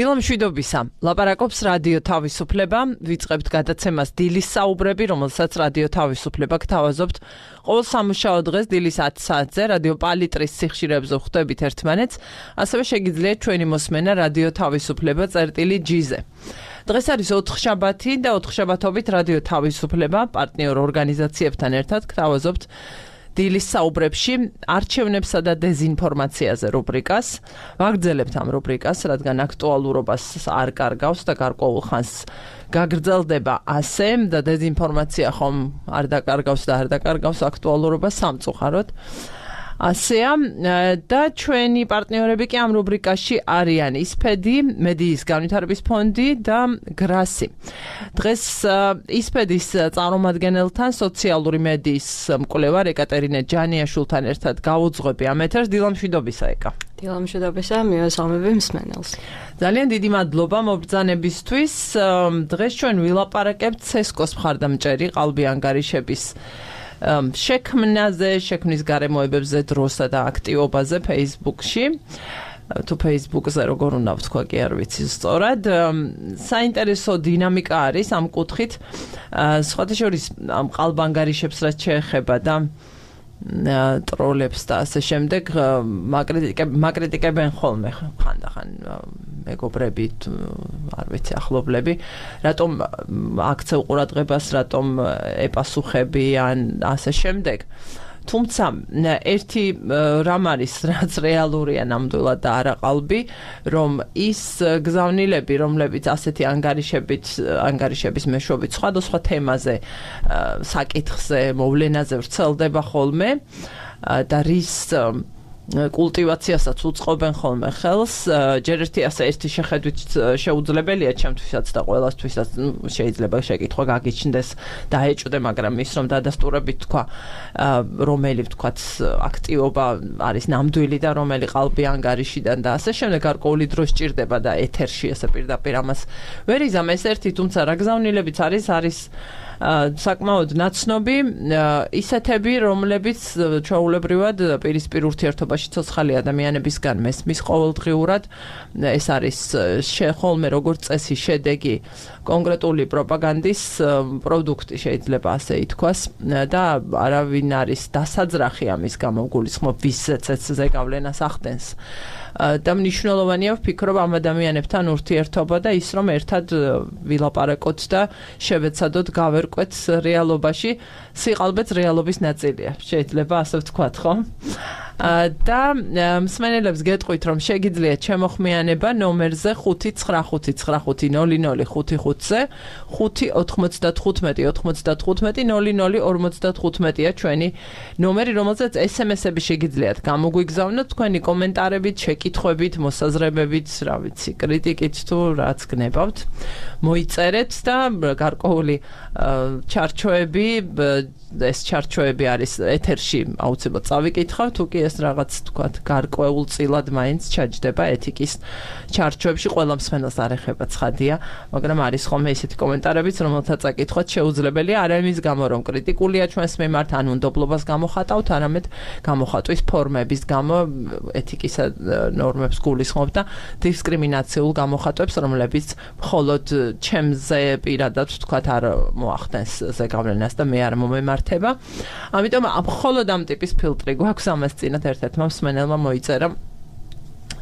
დილამშვიდობისა. ლაპარაკობს რადიო თავისუფლება, ვიწყებთ გადაცემას დილის საუბრები, რომელსაც რადიო თავისუფლება გთავაზობთ ყოველ სამუშაო დღეს დილის 10 საათზე რადიო პალიტრის სიხშირეებზე ხვდებით ერთმანეთს, ასევე შეგიძლიათ ჩვენი მოსმენა რადიო თავისუფლება წერტილი-G-ზე. დღეს არის 4 შაბათი და 4 შაბათობით რადიო თავისუფლება პარტნიორ ორგანიზაციებთან ერთად გთავაზობთ დილის საუბრებში არჩევნებსა და დეზინფორმაციაზე რუბრიკას. ვაგრძელებთ ამ რუბრიკას, რადგან აქტუალურობას არ კარგავს და გარკვეულ ხანს გაგრძელდება ასე და დეზინფორმაცია ხომ არ დაკარგავს და არ დაკარგავს აქტუალურობას სამწუხაროდ. ასეა და ჩვენი პარტნიორები კი ამ რუბრიკაში არიან ისფედი, მედიის განვითარების ფონდი და გრასი. დღეს ისფედის წარმომადგენელთან სოციალური მედიის მკვლევარ ეკატერინე ჯანიაშვილთან ერთად გავუძღვები ამ ეთერს. დილამშვიდობისა ეკა. დილამშვიდობისა, მივესალმები მსმენელს. ძალიან დიდი მადლობა მობრძანებისთვის. დღეს ჩვენ ვილაპარაკებთ ცესკოს მხარდამჭერი ყალბი ანგარიშების შექმნაზე, შექმნის გარემოებებზე, დროსა და აქტივობაზე Facebook-ში. თუ Facebook-ზე როგორ უნდა ვთქვა, კი არ ვიცი სწორად. საინტერესო დინამიკა არის ამ კუთხით. სხვათა შორის ამ ყალბანგარიშებს რაც შეეხება და ტროლებს და ასე შემდეგ მაკრიტიკებენ ხოლმე ხანდახან მეგობრები, არ ვიცი, ახლობლები, რატომ აქცევ ყურადღებას, რატომ ეპასუხები ან ასე შემდეგ. თუმცა ერთი რამ არის, რაც რეალურია ნამდვილად და არა ყალბი, რომ ის გზავნილები, რომლებიც ასეთი ანგარიშების მეშვეობით სხვადასხვა თემაზე, საკითხზე, მოვლენაზე ვრცელდება ხოლმე და რის კულტივაციასაც უწყობენ ხოლმე ხელს, ჯერ ერთი შეხედვით შეუძლებელია ჩემთვისაც და ყველასთვისაც, შეიძლება შეკითხვა გაგიჩნდეს და ეჭვდე, მაგრამ ის რომ დადასტურებით თქვა, რომელი ვთქვათ აქტივობა არის ნამდვილი და რომელი ყალბი ანგარიშიდან და ასე შემდეგ გარკვეული დრო სჭირდება და ეთერში ესე პირდაპირ ამას ვერ იზამ ეს ერთი, თუმცა რა გზავნილებიც არის საკმაოდ ნაცნობი, ისეთები, რომლებიც ჩვეულებრივად პირისპირ ურთიერთობაში ცოცხალი ადამიანებისგან მესმის ყოველდღიურად, ეს არის ხოლმე როგორც წესი შედეგი კონკრეტული პროპაგანდის პროდუქტი, შეიძლება ასე ითქვას და არავინ არის დასაძრახი ამის გამო, გულისხმობ ვისაც ზეგავლენას ახდენს. და მნიშვნელოვანია ვფიქრობ ამ ადამიანებთან ურთიერთობა და ის რომ ერთად ვილაპარაკოთ და შევეცადოთ გავერკვეთ რეალობაში, სიყალბეც რეალობის ნაწილია, შეიძლება ასე ვთქვათ, ხო? და მსმენელებს გეტყვით, რომ შეგიძლიათ შემოხმიანება ნომერზე 595500555-ზე 595-95-00-55-ია ჩვენი ნომერი, რომელზეც SMS-ები შეგიძლიათ გამოგვიგზავნოთ თქვენი კომენტარებით, შეკითხვებით, მოსაზრებებით, რა ვიცი, კრიტიკით თუ რაც გნებავთ, მოიწერეთ და გარკვეული ჩარჩოები, ეს ჩარჩოები არის ეთერში აუცილებლად წავიკითხავ, თუ კი ეს რაღაც თქვათ გარკვეულწილად მაინც ჩაჯდება ეთიკის ჩარჩოებში, ყველა მსმენელს არ ეხება ცხადია, მაგრამ არის ხოლმე ისეთი კომენტარებიც, რომელთაც აკითხვათ შეუძლებელია, არა იმის გამო, რომ კრიტიკულია ჩვენს მიმართ, ან უნდობლობას გამოხატავთ, არამედ გამოხატვის ფორმების გამო, ეთიკისა ნორმებს გულისხმობ და დისკრიმინაციულ გამოხატვებს, რომლებიც მხოლოდ ჩემზე პირადად ვთქვათ არ მოახდენს ზეგავლენას და მე არ მომემართება. ამიტომ მხოლოდ ამ ტიპის ფილტრი გვაქვს, ამას წინათ ერთ-ერთმა მსმენელმა მოიწერა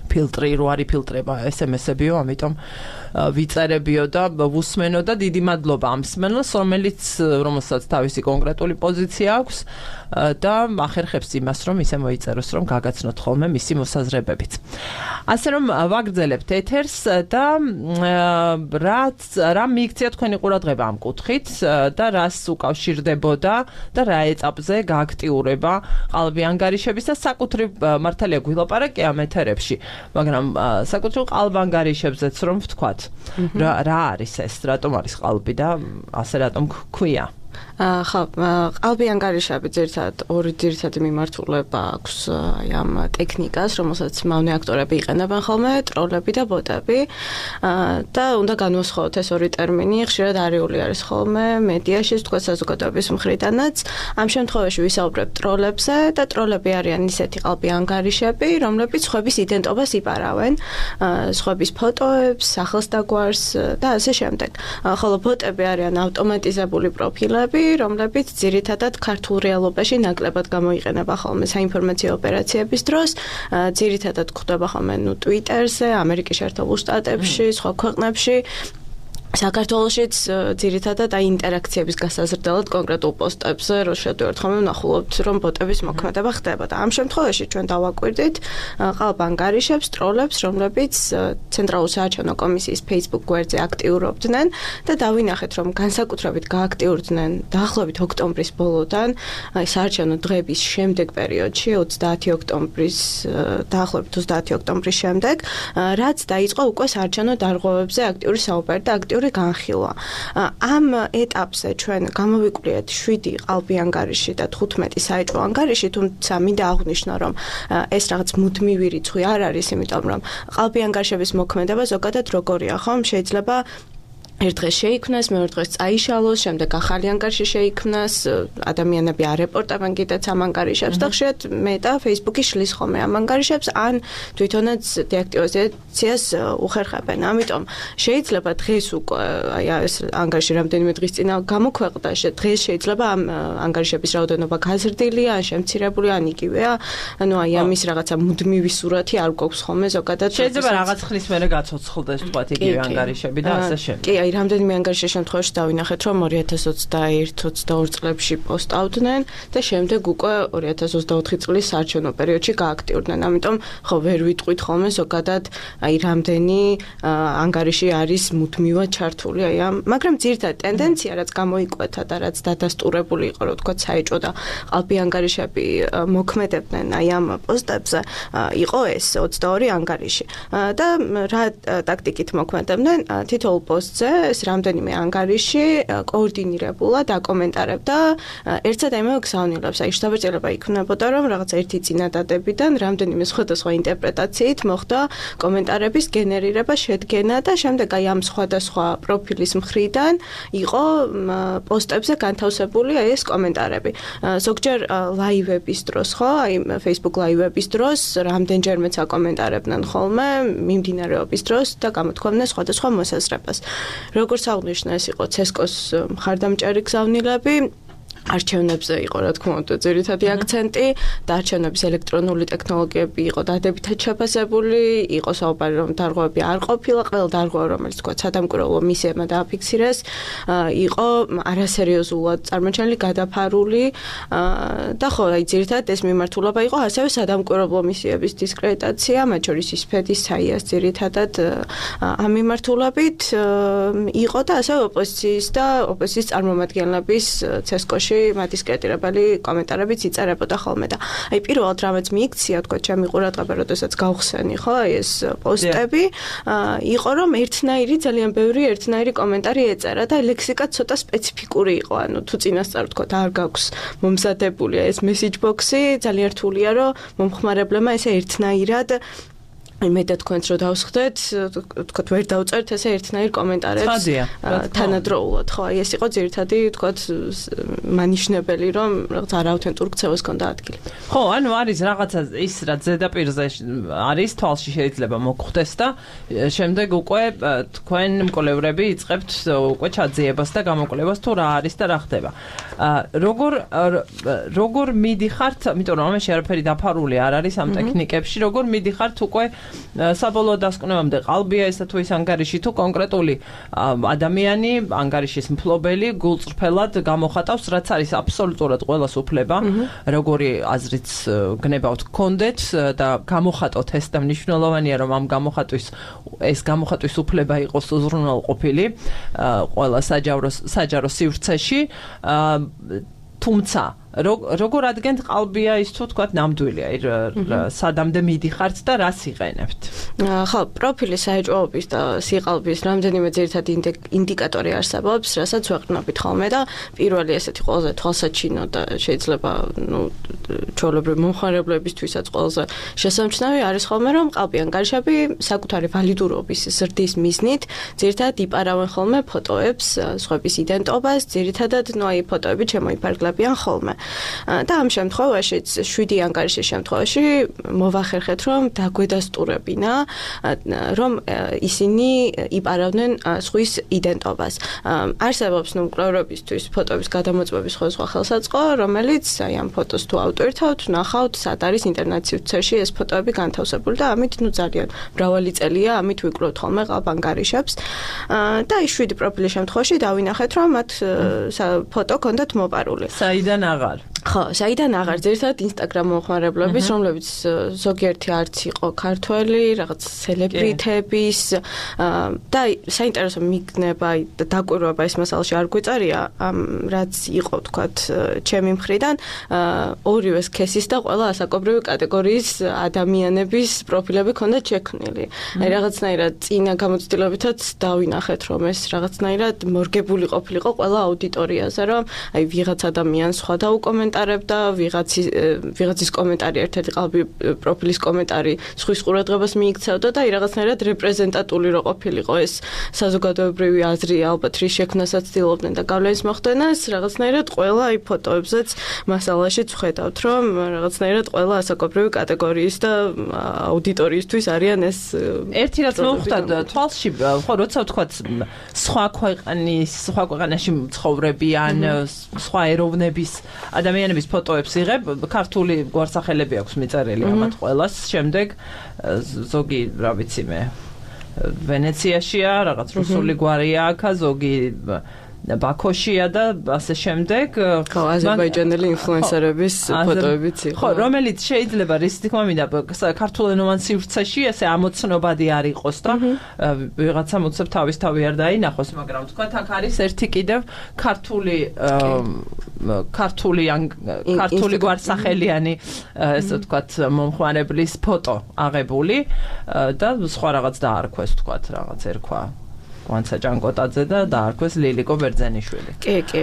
ფილტრი რო არის ფილტრება SMS-ებიო, ამიტომ ვიწერებიო და ვუსმენო და დიდი მადლობა ამ მსმენელს, რომელსაც თავისი კონკრეტული პოზიცია აქვს და ახერხებს იმას, რომ ისე მოიწეროს, რომ გაგაცნოთ ხოლმე მისი მოსაზრებებით. ასე რომ ვაგრძელებთ ეთერს და რა მიიქცია თქვენი ყურადღება ამ კუთხით და რას უკავშირდებოდა და რა ეტაპზე გააქტიურება ყალბი ანგარიშების და საკუთრივ მართალია გვილაპარაკე ამ ეთერებში, მაგრამ საკუთრივ ყალბანგარიშებზეც რომ ვთქვათ, რა არის ეს, რატომ არის ყალბი და ასე რატომ გვქვია? ხო, ყალბი ანგარიშები ძირითადად ორი ძირითადი მიმართულება აქვს ამ ტექნიკას, რომელსაც მავნე აქტორები იყენებენ ხოლმე, ტროლები და ბოტები. და უნდა განვასხვაოთ ეს ორი ტერმინი, ხშირად არიული არის ხოლმე მედიაში, თქვა საზოგადოების მხრიდანაც. ამ შემთხვევაში ვისაუბრებ ტროლებზე და ტროლები არიან ისეთი ყალბი ანგარიშები, რომლებიც სხვების იდენტობას იპარავენ, სხვების ფოტოებს, სახელს და გვარს და ასე შემდეგ. ხოლო ბოტები არიან ავტომატიზებული პროფილები, რომლებიც ძირითადად ქართულ რეალობაში ნაკლებად გამოიყენება ხოლმე საინფორმაციო ოპერაციების დროს, ძირითადად გვხვდება ხოლმე Twitter-ზე, ამერიკის შეერთებულ შტატებში, სხვა ქვეყნებში. საქართველოშიც ძირითადად ინტერაქციების გასაზრდელად კონკრეტულ პოსტებზე რო შევდივართ ხოლმე ვნახულობთ რომ ბოტების მოქმედება ხდება და ამ შემთხვევაში ჩვენ დავაკვირდით ყალბ ანგარიშებს, ტროლებს, რომლებიც ცენტრალური საარჩევნო კომისიის Facebook გვერდზე აქტიურობდნენ და დავინახეთ რომ განსაკუთრებით გააქტიურდნენ დაახლოებით ოქტომბრის ბოლოდან, საარჩევნო დღეების შემდეგ პერიოდში 30 ოქტომბრის დაახლოებით 30 ოქტომბრის შემდეგ, რაც დაიწყო უკვე საარჩევნო დარღვევებზე აქტიური საუბარი და აქტიური განხილვა. ამ ეტაპზე ჩვენ გამოვიკვლიეთ 7 ყალბი ანგარიში და 15 საეჭვო ანგარიში, თუმცა მინდა აღვნიშნო, რომ ეს რაღაც მუდმივი რიცხვი არ არის, იმიტომ რომ ყალბი ანგარიშების მოქმედება ზოგადად როგორია, ხომ? შეიძლება ერთ დღეს შეიქმნას, მეორე დღეს წაიშალოს, შემდეგ ახალი ანგარიში შეიქმნას, ადამიანები არეპორტებენ კიდეც ამ ანგარიშებს და ხშირად მეტა Facebook-ი შლის ხოლმე ამ ანგარიშებს, ან თვითონაც დეაქტივაციას უხერხებენ. ამიტომ შეიძლება დღეს უკვე ეს ანგარიში რამდენიმე დღის წინ გამოქვეყნდა, დღეს შეიძლება ამ ანგარიშების რაოდენობა გაზრდილია, ან შემცირებული, ან იგივეა. ანუ ამის რაღაცა მუდმივი სურათი არ გვაქვს ხოლმე ზოგადად. შეიძლება რაღაც ხნის მერე გაცოცხლდეს თქვათ იგივე ანგარიშები და ასე შემდეგ. რამდენიმე ანგარიშის შემთხვევაში დავინახეთ, რომ 2021-22 წლებში პოსტავდნენ და შემდეგ უკვე 2024 წლის საარჩევნო პერიოდში გააქტიურდნენ. ამიტომ ხო ვერ ვიტყვით ხოლმე ზოგადად რამდენი ანგარიში არის მუდმივად ჩართული მაგრამ ძირითადად ტენდენცია, რაც გამოიკვეთა და რაც დადასტურებული იყო, რომ თქვა საეჭვო და ყალბი ანგარიშები მოქმედებდნენ ამ პოსტებზე, იყო ეს 22 ანგარიში. და რა ტაქტიკით მოქმედებდნენ თითოეულ პოსტზე ეს რამდენიმე ანგარიში კოორდინირებულად აკომენტარებდა ერთსა და იმავე გზავნილებს. შთაბეჭდილება იქნებოდა, რომ რაღაც ერთი წინადადებიდან რამდენიმე სხვადასხვა ინტერპრეტაციით მოხდა კომენტარების გენერირება, შედგენა და შემდეგ ამ სხვადასხვა პროფილის მხრიდან იყო პოსტებზე განთავსებული ეს კომენტარები. ზოგჯერ ლაივების დროს, ხო, Facebook ლაივების დროს რამდენჯერმეც აკომენტარებდნენ ხოლმე მიმდინარეობის დროს და გამოთქვამდნენ სხვადასხვა მოსაზრებას. როგორც აღნიშნა, ეს იყო CSKO-ს მხარდამჭერი გზავნილები, არჩევნებზე იყო, რა თქმა უნდა, ძირითადი აქცენტი, და არჩევნების ელექტრონული ტექნოლოგიები იყო დადებითად შეფასებული, იყო საუბარი, რომ დარღვევები არ ყოფილა, ყველა დარღვევა, რომელიც თქვა სადამკვირვებლო მისიებმა დააფიქსირეს, იყო არასერიოზულად წარმოჩენილი, გადაფარული და ხო, ძირითადად ეს მიმართულება იყო ასევე სადამკვირვებლო მისიების დისკრედიტაცია, მათ შორის ისფედის საიას ძირითადად ამ მიმართულებით იყო და ასევე ოპოზიციის წარმომადგენლების CSKO-ში მათ დისკრედიტირებელი კომენტარებიც იწერებოდა ხოლმე და პირველად რამაც მიიქცია, თქვა ჩემი ყურადღება, როდესაც გავხსენი, ხო, ეს პოსტები, იყო რომ ძალიან ბევრი ერთნაირი კომენტარი ეწერა და ლექსიკა ცოტა სპეციფიკური იყო, ანუ თუ წინასწარ თქვა არ გაქვს მომზადებული ეს message box-ი, ძალიან რთულია, რომ მომხმარებლებმა ესე ერთნაირად მე და თქვენც რო დავსხდეთ, თქვა ვერ დავწერთ ესე ერთნაირ კომენტარებს თანადროულად, ხო, ეს იყო ძირითადი, თქვა მანიშნებელი, რომ რაღაც არაუთენტურ ქცევას ჰქონდა ადგილი. ხო, ანუ არის რაღაცა ის, რაც ზედაპირზე არის, თვალში შეიძლება მოგხვდეს და შემდეგ უკვე თქვენ მკვლევრები იწყებთ უკვე ჩაძიებას და გამოკვლევას თუ რა არის და რა ხდება. როგორ მიდიხართ, იმიტომ რომ ამაში არაფერი დაფარული არ არის ამ ტექნიკებში, როგორ მიდიხართ უკვე საბოლოო დასკვნებამდე ყალბია ესა თუ ის ანგარიში თუ კონკრეტული ადამიანი ანგარიშის მფლობელი გულწრფელად გამოხატავს, რაც არის აბსოლუტურად ყველას უფლება, როგორი აზრიც გნებავთ გქონდეთ და გამოხატოთ ეს და მნიშვნელოვანია რომ ამ გამოხატვის უფლება იყოს უზრუნველყოფილი ყველა საჯარო სივრცეში, თუმცა როგორ ადგენთ ყალბია ის თუ თქვა ნამდვილია, სადამდე მიდიხართ და რას იყენებთ? ხო, პროფილის საეჭვოების და სიყალბის რამდენიმე ძირითადი ინდიკატორი არსებობს, რასაც ვეყრდნობით ხოლმე და პირველი ესეთი ყველაზე თვალსაჩინო და შეიძლება ჩვეულებრივი მომხმარებლებისთვისაც ყველაზე შესამჩნევი არის ხოლმე, რომ ყალბი ანგარიშები საკუთარი ვალიდურობის ზრდის მიზნით ძირითადად იპარავენ ხოლმე ფოტოებს, სხვების იდენტობას, ძირითადად აი ფოტოები შემოიფარგლებიან ხოლმე. და ამ შემთხვევაში 7 ანგარიშის შემთხვევაში მოვახერხეთ, რომ დაგვედასტურებინა, რომ ისინი იპარავდნენ სხვის იდენტობას. არსებობს კვლევებისთვის ფოტოების გადამოწმების სხვა ხელსაწყო, რომელიც აი ამ ფოტოს თუ ავტვირთავთ, ნახავთ, სად არის ინტერნეტ-სივრცეში ეს ფოტოები განთავსებული და ამით ძალიან მრავალი წელია ამით ვიკვლევთ ხოლმე ყალბ ანგარიშებს. და ის 7 პროფილის შემთხვევაში დავინახეთ, რომ მათ ფოტო ჰქონდათ მოპარული. საიდან აღარ? ხო, საიდან აღარ ძირითადად Instagram მომხმარებლების, რომლებიც ზოგიერთი არც იყო ქართველი, რაღაც სელებრიტების და საინტერესო მიგნება და დაკვირვება ეს მასალაში არ გვიწერია, რაც იყო თქვათ ჩემი მხრიდან, ორივე სქესის და ყველა ასაკობრივი კატეგორიის ადამიანების პროფილები ქონდა შექმნილი. აი რაღაცნაირად წინა გამოცდილებითაც დავინახეთ, რომ ეს რაღაცნაირად მორგებული ყოფილიყო ყველა აუდიტორიაზე, რომ აი ვიღაც ადამიანს სხვა დაუკომენტარებდა, ვიღაცის კომენტარი ერთ-ერთი ყალბი პროფილის კომენტარი სხვის ყურადღებას მიიქცევდა და აი რაღაცნაირად რეპრეზენტატული რო ყოფილიყო ეს საზოგადოებრივი აზრი, ალბათ რის შექმნასაც ცდილობდნენ და გავლენის მოხდენას, რაღაცნაირად ყველა აი ფოტოებზეც მასალაშიც ვხედავთ, რომ რაღაცნაირად ყველა ასაკობრივი კატეგორიის და აუდიტორიისთვის არიან ეს ერთი რაც მოხვდა თვალში, ხო, როცა ვთქვათ სხვა ქვეყანაში მცხოვრებიან, სხვა ეროვნების ადამიანების ფოტოებს იღებ, ქართული გვარსახელები აქვს მიწერილი ამათ ყველას, შემდეგ ზოგი, რა ვიცი მე, ვენეციაშია, რაღაც რუსული გვარია აქ, ზოგი ბაქოშია და ასე შემდეგ. ხო, აზერბაიჯანელი ინფლუენსერების ფოტოებიც იყო. ხო, რომელიც შეიძლება რის თქმა მინდა ქართულენოვან სივრცეში ესე ამოცნობადი არ იყოს და ვიღაცა მოცებ თავისთავი არ დაინახოს, მაგრამ თქვათ აქ არის ერთი კიდევ ქართული გვარსახელიანი ესე ვთქვათ მომხმარებლის ფოტო აღებული და სხვა რაღაც დაარქვეს თქვათ რაღაც ერქვა ვანცა ჭანკოტაძე და დაარქვეს ლილიკო ბერძენიშვილი. კი.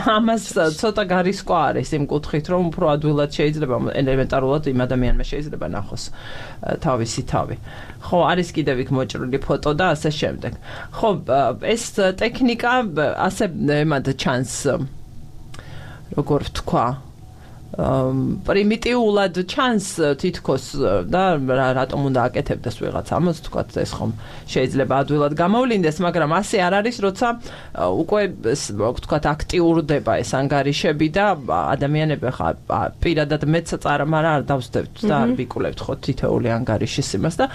ამას ცოტა გარისკვა არის იმ კუთხით, რომ უფრო ადვილად შეიძლება ელემენტარულად იმ ადამიანმა შეიძლება ნახოს თავისი თავი. ხო, არის კიდევ იქ მოჭრილი ფოტო და ასე შემდეგ. ხო, ეს ტექნიკა ასე ემად ჩანს, როგორ ვთქვა, პრიმიტიულად ჩანს თითქოს და რატომ უნდა აკეთებდეს ვიღაც ამას, თქვათ ეს ხომ შეიძლება ადვილად გამოვლინდეს, მაგრამ ასე არ არის, როცა უკვე თქვათ აქტიურდება ეს ანგარიშები და ადამიანები ხა პირადად მეც წარმარა არ დავსდებთ და არ ვიკვლევთ ხო თითოეული ანგარიშის იმას და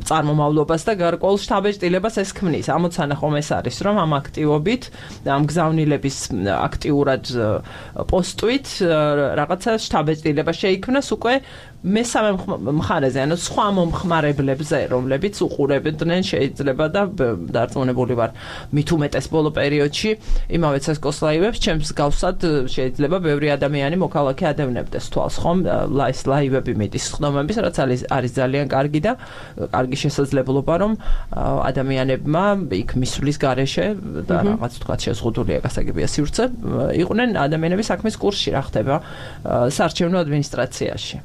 წარმომავლობას და გარკვეულ შთაბეჭდილებას ეს ქმნის. ამოცანა ხომ ეს არის, რომ ამ აქტივობით, ამ გზავნილების აქტიურად პოსტვით რაღაცა შთაბეჭდილება შეიქმნას უკვე მესამე მხარეზე, ანუ სხვა მომხმარებლებზე, რომლებიც უყურებდნენ შეიძლება და დარწმუნებული ვარ, მით უმეტეს ბოლო პერიოდში იმავე ცესკოს ლაივებს, ჩემს გავსად შეიძლება ბევრი ადამიანი მოქალაქე ადევნებდეს თვალს, ხომ, ლაივები მიტის ხდომების, რაც არის ძალიან კარგი და კარგი შესაძლებლობა, რომ ადამიანებმა იქ მისვლის გარეშე და რაღაც თქვათ შეზღუდულია გასაგებია სივრცე, იყვნენ ადამიანების საქმის კურსში, რა ხდება საარჩევნო ადმინისტრაციაში.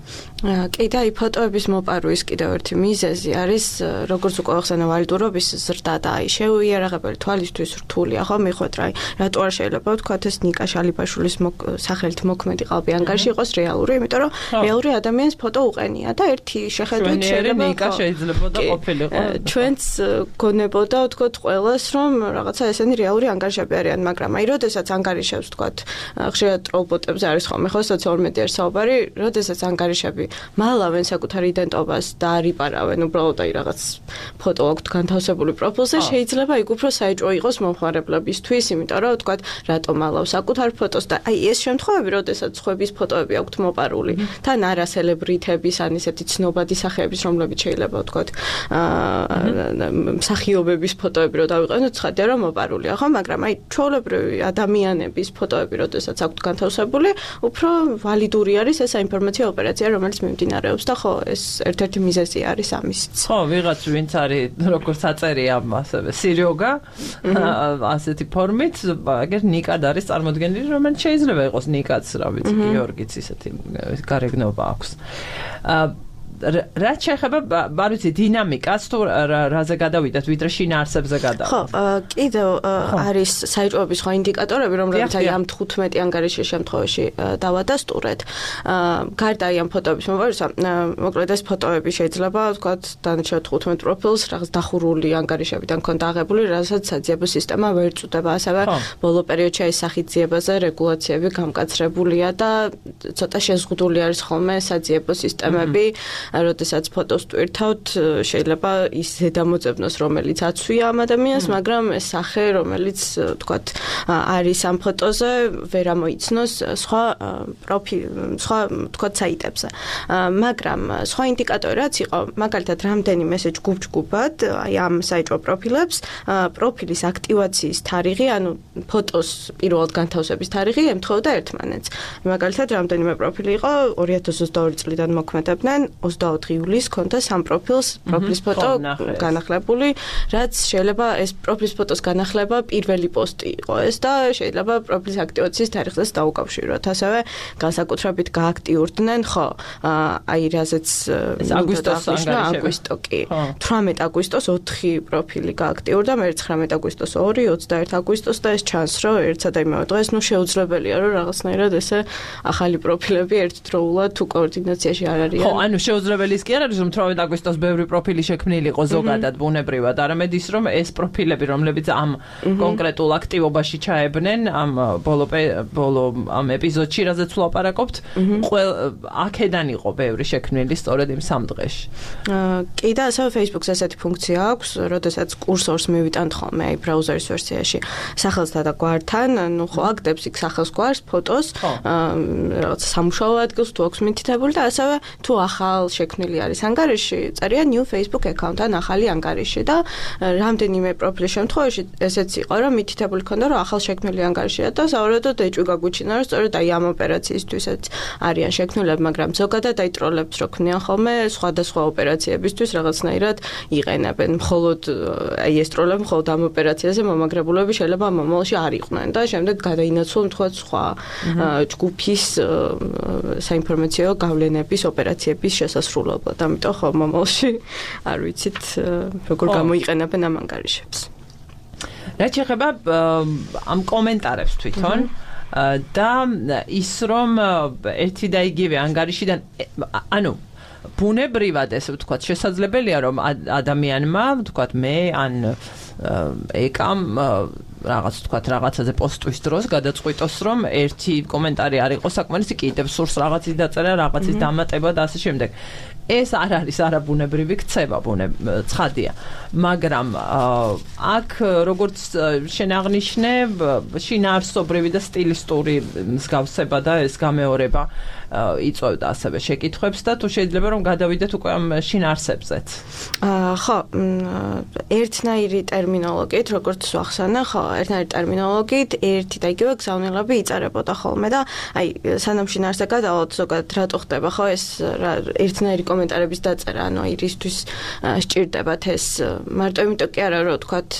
კი და ფოტოების მოპარვის კიდევ ერთი მიზეზი არის, როგორც უკვე ახსენა, ვალიდურობის ზრდა და აი შეუიარაღებელი თვალისთვის რთულია, ხო, მიხვეთ რა, რატო არ შეიძლება ვთქვათ ეს ნიკა შალიბაშვილის სახელით მოქმედი ყალბი ანგარიში იყოს რეალური, იმიტომ რომ რეალური ადამიანის ფოტო უყენია და ერთი შეხედვით შეიძლება ნიკა შეიძლება და ყოფილიყო. ჩვენც გონებოდა ვთქვათ ყველას, რომ რაღაცა ესენი რეალური ანგარიშები არიან, მაგრამ აი როდესაც ანგარიშებს ვთქვათ, ხშირად ტროლბოტებზე არის ხოლმე ხო სოციალურ მედიაში საუბარი, როდესაც ანგარიშები მალავენ საკუთარ იდენტობას და არიპარავენ უბრალოდ აი რაღაც ფოტო აქვთ განთავსებული პროფილზე, შეიძლება იქ უფრო საეჭვო იყოს მომხმარებლებისთვის, იმიტომ რომ თქვა რატომ მალავ საკუთარ ფოტოს და აი ეს შემთხვევები, როდესაც სხვების ფოტოები აქვთ მოპარული, თან არა სელებრიტების ან ისეთი ცნობადი სახეების, რომლებიც შეიძლება თქვა მსახიობების ფოტოები რო დავიყენოთ, ცხადია რომ მოპარულია, ხო, მაგრამ აი ჩვეულებრივი ადამიანების ფოტოები, როდესაც აქვთ განთავსებული, უფრო ვალიდური არის ეს საინფორმაციო ოპერაცია, რომელიც მიმდინარეობს და ხო, ეს ერთ-ერთი მიზეზი არის ამისიც. ხო, ვიღაც ვინც არის როგორც აწერია ასევე სირიოგა, ასეთი ფორმით, აგერ ნიკად არის წარმოდგენილი, რომელიც შეიძლება იყოს ნიკაც, რა ვიცი, გიორგიც ისეთი გარეგნობა აქვს. რაც შეეხება, არ ვიცი, დინამიკას თუ რაზე გადავიდეთ, ვიდრე შინაარსებზე გადავიდეთ. ხო, კიდევ არის საეჭვოების სხვა ინდიკატორები, რომლებიც აი ამ 15 ანგარიშის შემთხვევაში დავადასტურეთ. გარდა აი ამ ფოტოების მომავარისა, მოკლედ ეს ფოტოები შეიძლება, ვთქვათ, დანარჩენ 15 პროფილს რაღაც დახურული ანგარიშებიდან ქონდა აღებული, რასაც საძიებო სისტემა ვერ წუდება. ასევე ბოლო პერიოდში აი სახით ძიებაზე რეგულაციები გამკაცრებულია და ცოტა შეზღუდული არის ხოლმე საძიებო სისტემები. როდესაც ფოტოს ტვირთავთ, შეიძლება ის ზედამოწებნოს, რომელიც აცვია ამ ადამიანს, მაგრამ ეს სახე, რომელიც, თქვათ, არის ამ ფოტოზე, ვერ ამოიცნოს სხვა თქვათ, საიტებზე. მაგრამ სხვა ინდიკატორი რაც იყო, მაგალითად, რამდენიმე ესე ჯგუფ-ჯგუფად, აი ამ საეჭვო პროფილებს, პროფილის აქტივაციის თარიღი, ანუ ფოტოს პირველად განთავსების თარიღი ემთხვეოდა ერთმანეთს. მაგალითად, რამდენიმე პროფილი იყო 2022 წლიდან მოქმედებდნენ 24 ივლისს ქონდა სამ პროფილს ფოტო განახლებული, რაც შეიძლება ეს პროფილის ფოტოს განახლება პირველი პოსტი იყო ეს და შეიძლება პროფილის აქტივაციის თარიღზეც დაუკავშიროთ. ასევე განსაკუთრებით გააქტიურდნენ, ხო, აი რაზეც აგვისტო კი. 18 აგვისტოს 4 პროფილი გააქტიურდა, მე 19 აგვისტოს 2, 21 აგვისტოს და ეს ჩანს, რომ ერთსა და იმავე დღეს, შეუძლებელია, რომ რაღაცნაირად ესე ახალი პროფილები ერთდროულად თუ კოორდინაციაში არ არიან. ხო, ანუ შეუძლებელი ის კი არ არის, რომ 18 აგვისტოს ბევრი პროფილი შექმნილი იყო ზოგადად ბუნებრივად, არამედ ის, რომ ეს პროფილები, რომლებიც ამ კონკრეტულ აქტივობაში ჩაებნენ, ამ ბოლო ამ ეპიზოდში, რაზეც ვლაპარაკობთ, აქედან იყო ბევრი შექმნილი სწორედ იმ სამ დღეში. კი და ასევე Facebook-ს ესეთი ფუნქცია აქვს, როდესაც კურსორს მივიტანთ ხოლმე აი ბრაუზერის ვერსიაში სახელსთან და გვართან, ნუ ხო აკდებს იქ სახელს გვარს, ფოტოს, რაღაც სამუშაო ადგილს თუ აქვს მითითებული და ასევე თუ ახალ შექმნილი არის ანგარიში, წერია new Facebook account ან ახალი ანგარიში და რამდენიმე პროფილის შემთხვევაში ესეც იყო, რომ მითითებული ქონდა, რომ ახალ შექმნილი ანგარიშია და საერთოდ ეჭვი გაგვიჩინა, რომ სწორედ აი ამ ოპერაციისთვისაც არიან შექმნილები, მაგრამ ზოგადად აი ტროლებს რო ქმნიან ხოლმე სხვადასხვა ოპერაციებისთვის რაღაცნაირად იყენებენ. მხოლოდ აი ეს ტროლები მხოლოდ ამ ოპერაციაზე მომაგრებულები შეიძლება მომავალში არ იყვნენ და შემდეგ გადაინაცვლონ თქვა სხვა ჯგუფის საინფორმაციო გავლენების ოპერაციების შესასრულებლად. ამიტომ ხო მომავალში არ ვიცით როგორ გამოიყენებენ ამ ანგარიშებს. რაც შეეხება ამ კომენტარებს თვითონ და ის რომ ერთი და იგივე ანგარიშიდან ანუ ბუნებრივად ესე ვთქვათ შესაძლებელია რომ ადამიანმა ვთქვათ მე ან ეკამ რაღაც ვთქვათ რაღაცაზე პოსტვის დროს გადაწყვიტოს რომ ერთი კომენტარი არ იყოს საკმარისი კიდევ სურს რაღაცის დაწერა რაღაცის დამატება და ასე შემდეგ. ეს არ არის არაბუნებრივი ქცევა, ცხადია. მაგრამ აქ როგორც შენ აღნიშნე, შინაარსობრივი და სტილისტური მსგავსება და ეს გამეორება იწვევდა ასევე შეკითხვებს და თუ შეიძლება რომ გადავიდეთ უკვე ამ შინაარსებზეც. ხო, ერთნაირი ტერმინოლოგიით, როგორც ვახსენე, ხო, ერთნაირი ტერმინოლოგიით ერთი და იგივე გზავნილები იწერებოდა ხოლმე და აი სანამ შინაარსზე გადავალთ ზოგადად რატო ხდება ხო ეს ერთნაირი კომენტარების დაწერა, ანუ ირისთვის სჭირდებათ ეს მარტო იმიტომ კი არა რომ თქვათ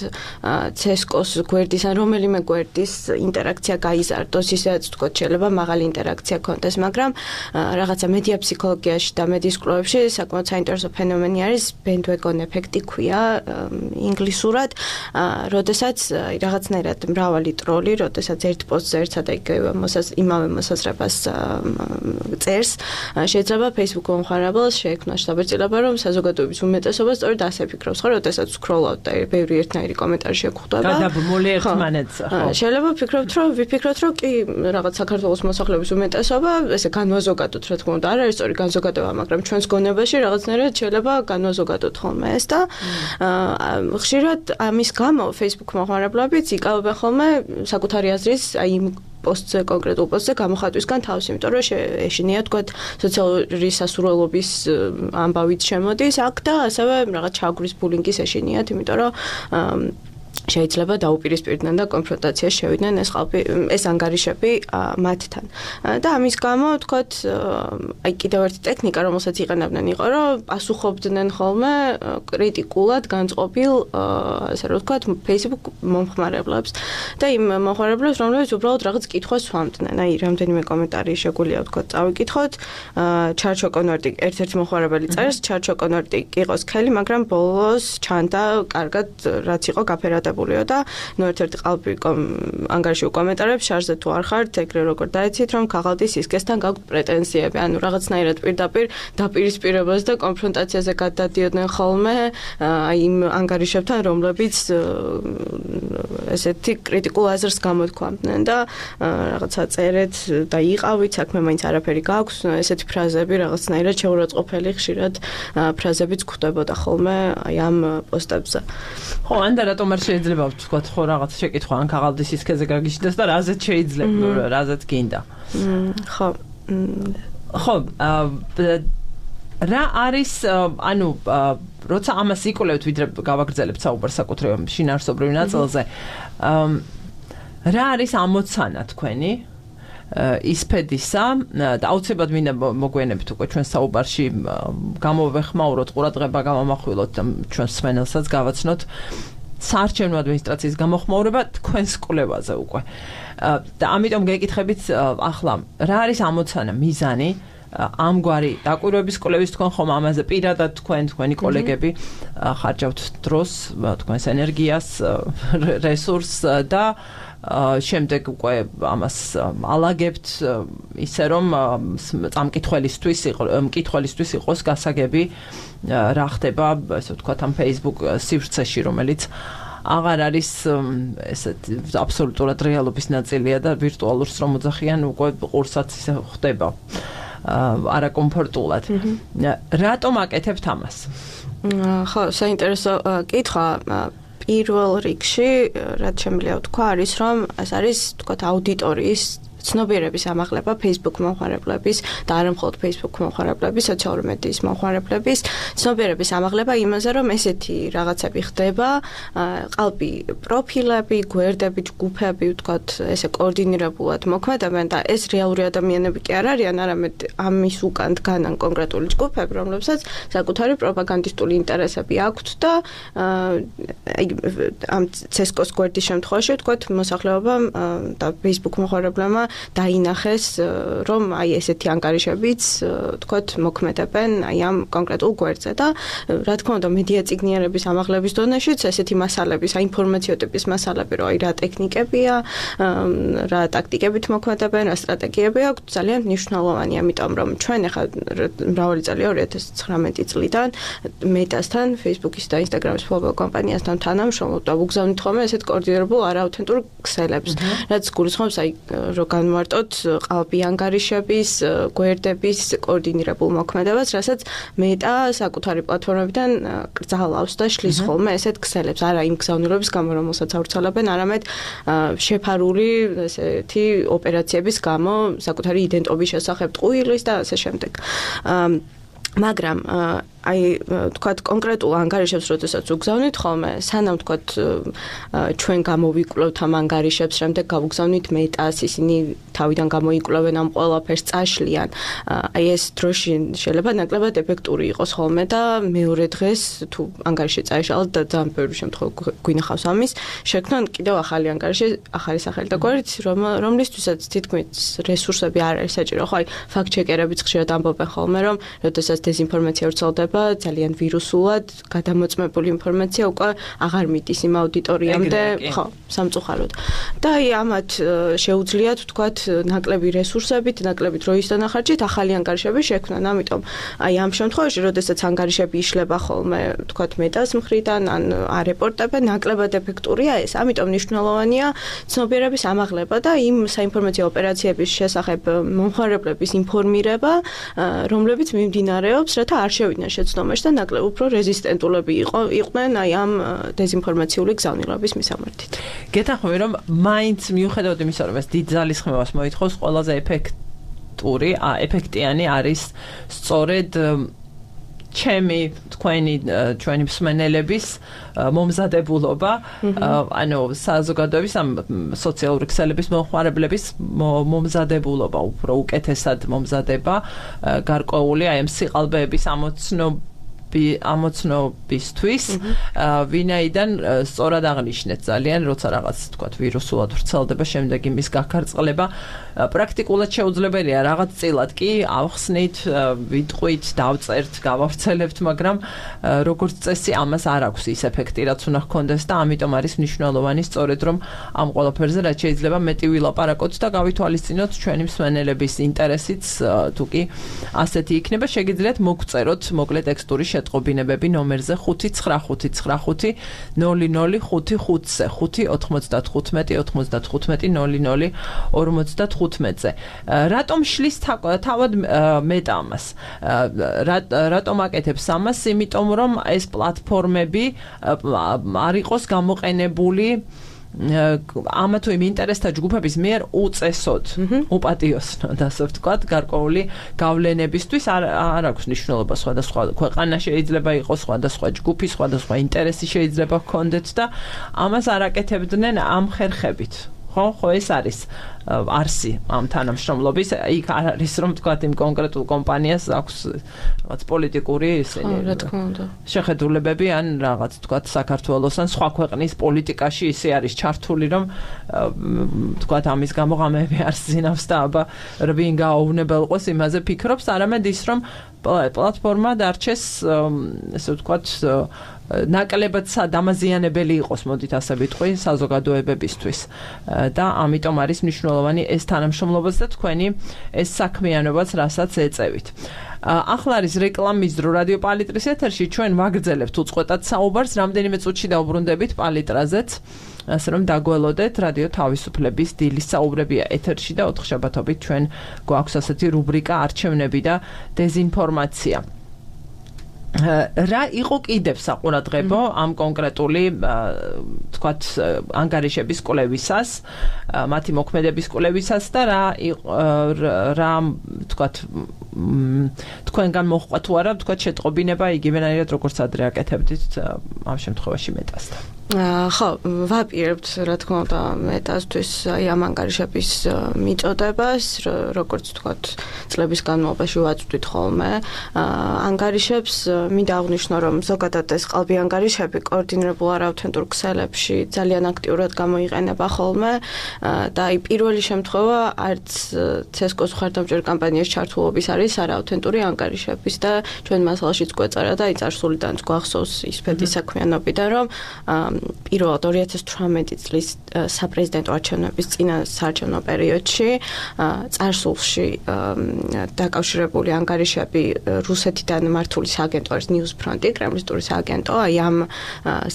CSGO-ს გვერდის ან რომელიმე გვერდის ინტერაქცია გაიზარდოს, ისედაც თქვათ შეიძლება მაღალი ინტერაქცია კონდეს, მაგრამ რაღაცა მედია ფსიქოლოგიაში და მედიის კვლევებში საკმაოდ საინტერესო ფენომენი არის bandwagon ეფექტი ქვია ინგლისურად, როდესაც რაღაცნაირად მრავალი ტროლი, როდესაც ერთ პოსტზე ერთსა და იმავე მოსაზრებას წერს, შეიძლება Facebook მომხმარებელს შეექმნა საბერძნება, რომ საზოგადოების უმეტესობა სწორედ ასე ფიქრობს, ხო, როდესაც სკროლავთ და ბევრი ერთნაირი კომენტარი შეგხვდება. გადაბმული ერთმანეთს. შეიძლება ვიფიქროთ, რომ კი რაღაც საქართველოს მოსახლეობის უმეტესობა ესე განვაზოგადოთ, რა თქმა უნდა, არ არის სწორი განზოგადება, მაგრამ ჩვენს გონებაში რაღაცნაირად შეიძლება განვაზოგადოთ ხოლმე ეს და ხშირად ამის გამო Facebook მოხმარებლებიც იკავებენ ხოლმე საკუთარი აზრის აი იმ პოსტზე კონკრეტულ პოსტზე გამოხატვისგან თავს, იმიტომ რომ ეშინია თქვა სოციალური სასურველობის ამბავით შემოდის აქ და ასევე რაღაც ჩაგვრის ბულინგის ეშინიათ, იმიტომ რომ შეიძლება დაუპირისპირდნენ და კონფრონტაციაში შევიდნენ ეს ანგარიშები მათთან. და ამის გამო თქვათ აი კიდევ ერთი ტექნიკა, რომელსაც იყენებდნენ იყო, რომ პასუხობდნენ ხოლმე კრიტიკულად განწყობილ ასე რომ ვთქვათ Facebook მომხმარებლებს და იმ მომხმარებლებს, რომლებიც უბრალოდ რაღაც კითხვას სვამდნენ. აი რამდენიმე კომენტარი შეგვიძლია ვთქვათ წავიკითხოთ. ჩარჩო კონვერტი ერთ-ერთი მომხმარებელი წერს, ჩარჩო კონვერტი იყო სქელი, მაგრამ ბოლოს ჩანდა კარგად რაც იყო გაფერადა და ნუ ერთ-ერთი ყალბი ანგარიში კომენტარებს შარზე თუ არ ხართ, ეგრე როგორ დაეცით, რომ ქაღალდის სისქესთან გაქვთ პრეტენზიები, ანუ რაღაცნაირად პირდაპირ დაპირისპირებას და კონფრონტაციაზე გადადიოდნენ ხოლმე აი იმ ანგარიშებთან, რომლებიც ესეთი კრიტიკულ აზრს გამოთქვამდნენ და რაღაცა წერეთ და იყავით, საქმე მაინც არაფერი გაქვს, ესეთი ფრაზები რაღაცნაირად შეურაცხყოფელი ხშირად ფრაზებიც გვხვდებოდა ხოლმე აი ამ პოსტებზე. ხო, ან და რატომ არ შეიძლება ვთქვათ, ხო რაღაც შეკითხვა ან ქაღალდის სისქეზე გაგიჩნდეს და რაზეც შეიძლება, რაზეც გინდა. ხო. ხო, რა არის, ანუ როცა ამას იკვლევთ, ვიდრე გავაგრძელებთ საუბარს საკუთრივ შინაარსობრივ ნაწილზე, რა არის ამოცანა თქვენი? ისფედისა და აუცილებლად მინდა მოგვიანებით უკვე ჩვენ საუბარში გამოვეხმაუროთ, ყურადღება გამომახვილოთ და ჩვენ სმენელსაც გავაცნოთ საარჩევნო ადმინისტრაციის გამოხმაურება თქვენს კვლევაზე უკვე. და ამიტომ გეკითხებით ახლა, რა არის ამოცანა, მიზანი ამგვარი დაკვირვების კვლევის თქვენ ხომ ამაზე პირადად თქვენი კოლეგები ხარჯავთ დროს, თქვენს ენერგიას, რესურსს და შემდეგ უკვე ამას ალაგებთ ისე რომ მკითხველისთვის იყოს გასაგები რა ხდება, ესე ვთქვათ, ამ Facebook სივრცეში, რომელიც აღარ არის ესეთ აბსოლუტურად რეალობის ნაწილია და ვირტუალურს რომ მოძახიან უკვე ყურსაც ისე ხდება არაკომფორტულად. რატომ აკეთებთ ამას? ხო, საინტერესო კითხვა. პირველ რიგში, რაც შემიძლია ვთქვა, არის რომ ეს არის, ვთქვათ, აუდიტორიის ცნობიერების ამაღლება Facebook მომხმარებლების და არა მხოლოდ Facebook მომხმარებლების, სოციალური მედიის მომხმარებლების ცნობიერების ამაღლება იმაზე, რომ ესეთი რაღაცები ხდება, ყალბი პროფილები, გვერდები, ჯგუფები, ვთქვათ, ესე კოორდინირებულად მოქმედებენ და ეს რეალური ადამიანები კი არ არიან, არამედ ამის უკან დგანან კონკრეტული ჯგუფები, რომლებსაც საკუთარი პროპაგანდისტული ინტერესები აქვთ და ამ CSGO-ს გვერდის შემთხვევაში, ვთქვათ, მოსახლეობამ და Facebook მომხმარებლებმა დაინახეს, რომ აი ესეთი ანგარიშებიც, ვთქვათ, მოქმედებენ აი ამ კონკრეტულ გვერდზე და რა თქმა უნდა, მედია წიგნიერების ამაღლების დონეშიც ესეთი მასალების, აი ინფორმაციო ტიპის მასალები, რომ აი რა ტექნიკებია, რა ტაქტიკებით მოქმედებენ, რა სტრატეგიები აქვს, ძალიან მნიშვნელოვანია, ამიტომ რომ ჩვენ ახლა მრავალი წელია 2019 წლიდან მეტასთან, Facebook-ის და Instagram-ის მფლობელ კომპანიასთან თანამშრომლობ და ვუგზავნით ხოლმე ესეთ კოორდინირებულ არააუთენტურ ქსელებს, რაც გულისხმობს აი რომ განვარტოთ ყალბი ანგარიშების, გვერდების კოორდინირებულ მოქმედებას, რასაც მეტა საკუთარი პლატფორმებიდან კრძალავს და შლის ხოლმე ესეთ ქსელებს, არა იმ გზავნილობის გამო, რომელსაც ავრცელებენ, არამედ შეფარული ესეთი ოპერაციების გამო, საკუთარი იდენტობის შესახებ ტყუილის და ასე შემდეგ. მაგრამ აი ვთქვათ კონკრეტულ ანგარიშებს როდესაც უგზავნით ხოლმე, სანამ ვთქვათ ჩვენ გამოვიკვლევთ ამ ანგარიშებს, შემდეგ გავუგზავნით მეტას, ისინი თავიდან გამოიკვლევენ ამ ყველაფერს, წაშლიან. აი ეს დროში შეიძლება ნაკლებად ეფექტური იყოს ხოლმე და მეორე დღეს თუ ანგარიში წაეშალათ და ძალიან ბევრი შემთხვევა გვინახავს ამის, შექმნან კიდევ ახალი ანგარიში, ახალი სახელი და გვერდით, რომლისთვისაც თითქმის რესურსები არ არის საჭირო. ხო, აი ფაქტ-ჩეკერებიც ხშირად ამბობენ ხოლმე, რომ როდესაც დეზინფორმაცია ვრცელდება, შეიძლება ძალიან ვირუსულად გადამოწმებული ინფორმაცია უკვე აღარ მიდის იმ აუდიტორიამდე, ხო, სამწუხაროდ. და აი ამათ შეუძლიათ ვთქვათ ნაკლები რესურსებით, ნაკლები დროის დანახარჯით ახალი ანგარიშები შექმნან. ამიტომ აი ამ შემთხვევაში, როდესაც ანგარიშები იშლება ხოლმე, ვთქვათ მეტას მხრიდან ან არეპორტებენ, ნაკლებად ეფექტურია ეს. ამიტომ მნიშვნელოვანია ცნობიერების ამაღლება და იმ საინფორმაციო ოპერაციების შესახებ მომხმარებლების ინფორმირება, რომლებიც მიმდინარეობს, რათა არ შევიდნენ შეცდომაში და ნაკლებ უფრო რეზისტენტულები იყვნენ აი ამ დეზინფორმაციული გზავნილების მისამართით. გეთანხმები, რომ მაინც მიუხედავად იმისა, რომ ეს დიდ ძალისხმევას მოითხოვს, ყველაზე ეფექტიანი არის სწორედ ჩვენი მსმენელების მომზადებულობა, ანუ საზოგადოების ამ სოციალური ქსელების მომხმარებლების მომზადებულობა, უფრო უკეთესად მომზადება, გარკვეული აი ამ სიყალბეების ამოცნობისთვის, ვინაიდან სწორად აღნიშნეთ ძალიან, როცა რაღაც თქვათ ვირუსულად ვრცელდება, შემდეგ იმის გაქარწყლება პრაქტიკულად შეუძლებელია, რაღაც წილად კი ავხსნით, ვიტყვით, დავწერთ, გავავრცელებთ, მაგრამ როგორც წესი ამას არ აქვს ის ეფექტი, რაც უნდა ჰქონდეს და ამიტომ არის მნიშვნელოვანი სწორედ რომ ამ ყველაფერზე რაც შეიძლება მეტი ვილაპარაკოთ და გავითვალისწინოთ ჩვენი მსმენელების ინტერესიც, თუ კი ასეთი იქნება, შეგიძლიათ მოგწეროთ მოკლე ტექსტური შეტყობინებები ნომერზე 59595 00555-ზე 595-95-00-55-ზე. რატომ შლის თავად მეტა ამას? რატომ აკეთებს ამას? იმიტომ რომ ეს პლატფორმები არ იყოს გამოყენებული ამა თუ იმ ინტერესთა ჯგუფების მიერ უწესოდ, უპატიოსნოდ, ასე ვთქვათ, გარკვეული გავლენებისთვის არ აქვს მნიშვნელობა სხვადასხვა ქვეყანა შეიძლება იყოს, სხვადასხვა ჯგუფი, სხვადასხვა ინტერესი შეიძლება ჰქონდეთ და ამას არ აკეთებდნენ ამ ხერხებით. ხო, ეს არის არსი ამ თანამშრომლობის, იქ არ არის რომ თქვათ იმ კონკრეტულ კომპანიას აქვს რაღაც პოლიტიკური შეხედულებები ან რაღაც თქვათ საქართველოს ან სხვა ქვეყნის პოლიტიკაში ისე არის ჩართული რომ თქვათ ამის გამო ღამეები არ ზინავს და აბა რვინ გააუვნებელყოს იმაზე ფიქრობს, არამედ ის რომ პლატფორმა დარჩეს ესე ვთქვათ ნაკლებად დამაზიანებელი იყოს, მოდით ასე ვიტყვი, საზოგადოებებისთვის და ამიტომ არის მნიშვნელოვანი ეს თანამშრომლობაც და თქვენი ეს საქმიანობაც, რასაც ეწევით. ახლა არის რეკლამის დრო რადიო პალიტრის ეთერში, ჩვენ ვაგრძელებთ უწყვეტად საუბარს, რამდენიმე წუთში დავუბრუნდებით პალიტრაზეც, ასე რომ დაგველოდეთ, რადიო თავისუფლების დილის საუბრებია ეთერში და 4 შაბათობით ჩვენ გვაქვს ასეთი რუბრიკა არჩევნები და დეზინფორმაცია. რა იყო კიდევ საყურადღებო ამ კონკრეტული თქვათ ანგარიშების კვლევისას, მათი მოქმედების კვლევისას და რა თქვათ თქვენგან მოხდა თუ არა თქვათ შეტყობინება იგივენაირად როგორც ადრე აკეთებდით ამ შემთხვევაში მეტასთან. ხო, ვაპირებთ რა თქმა უნდა მეტასთვის აი ამ ანგარიშების მიწოდებას, როგორც თქვათ წლების განმავლობაში ვაწვდით ხოლმე ანგარიშებს. მინდა აღვნიშნო, რომ ზოგადად ეს ყალბი ანგარიშები კოორდინირებულ არაავთენტურ ქსელებში ძალიან აქტიურად გამოიყენება ხოლმე და აი პირველი შემთხვევა არც CSGO-ს მხარდამჭერ კამპანიის ჩართულობის არის არაავთენტური ანგარიშების და ჩვენ მასალაშიც გვეწარა და აი წარსულიდან გვახსოვს ის ფედის საქმიანობიდან, რომ პირველად 2018 წლის საპრეზიდენტო არჩევნების წინა საარჩევნო პერიოდში წარსულში დაკავშირებული ანგარიშები რუსეთიდან მართული სააგენტო არის ნიუსფრონტი, კრემლისტური სააგენტო, აი ამ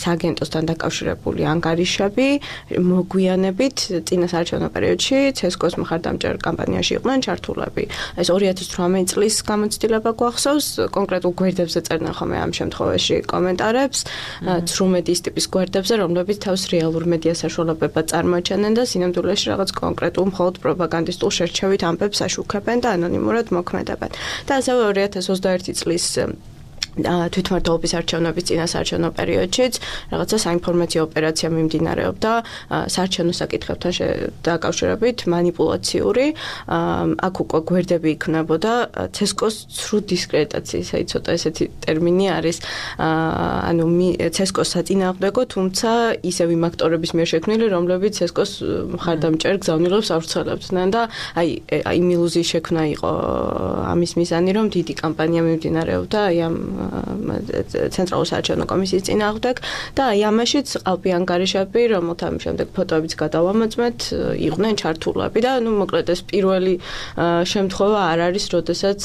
სააგენტოსთან დაკავშირებული ანგარიშები მოგვიანებით წინა საარჩევნო პერიოდში CSGO-ს მხარდამჭერ კამპანიაში იყვნენ ჩართულები. ეს 2018 წლის გამოცდილება გვახსოვს, კონკრეტულ გვერდებზე წერდნენ ხოლმე ამ შემთხვევაში კომენტარებს, ცრუმედის ტიპის გვერდებზე, რომლებიც თავს რეალურ მედია საშუალებებად წარმოაჩენენ და სინამდვილეში რაღაც კონკრეტულ მხოლოდ პროპაგანდისტულ შერჩევით ამბებს აშუქებენ და ანონიმურად მოქმედებენ. და ასევე 2021 წლის თვითმმართველობის არჩევნების წინა საარჩევნო პერიოდშიც რაღაცა საინფორმაციო ოპერაცია მიმდინარეობდა საარჩევნო საკითხებთან დაკავშირებით მანიპულაციური, აქ უკვე გვერდები იქნებოდა CSGO-ს ცრუ დისკრედიტაციის, აი ცოტა ესეთი ტერმინი არის, ანუ CSGO-ს საწინააღმდეგო, თუმცა ისევ იმ აქტორების მიერ შექმნილი, რომლებიც CSGO-ს მხარდამჭერ გზავნილებს ავრცელებდნენ და აი იმ ილუზიის შექმნა იყო ამის მიზანი, რომ დიდი კამპანია მიმდინარეობდა აი ამ ცენტრალური საარჩევნო კომისიის წინააღმდეგ და აი ამაშიც ყალბი ანგარიშები, რომელთა შემდეგ ფოტოებიც გადავამოწმეთ, იყვნენ ჩართულები და ნუ მოკლედ ეს პირველი შემთხვევა არ არის, როდესაც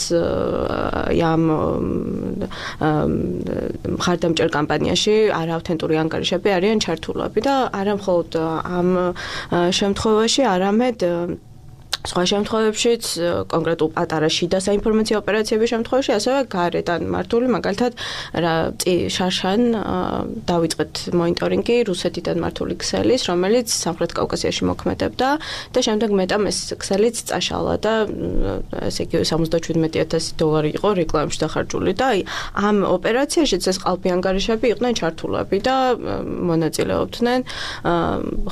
ამ მხარდამჭერ კამპანიაში არაავთენტური ანგარიშები არიან ჩართულები და არა მხოლოდ ამ შემთხვევაში, არამედ სხვა შემთხვევებშიც, კონკრეტულ პატარა შიდა საინფორმაციო ოპერაციების შემთხვევაში, ასევე გარედან მართული, მაგალითად, შარშან დავიწყეთ მონიტორინგი რუსეთიდან მართული ქსელის, რომელიც სამხრეთ კავკასიაში მოქმედებდა და შემდეგ მეტამ ეს ქსელიც წაშალა და ესე იგი $77,000 იყო რეკლამაში დახარჯული და აი ამ ოპერაციაშიც ეს ყალბი ანგარიშები იყვნენ ჩართულები და მონაწილეობდნენ.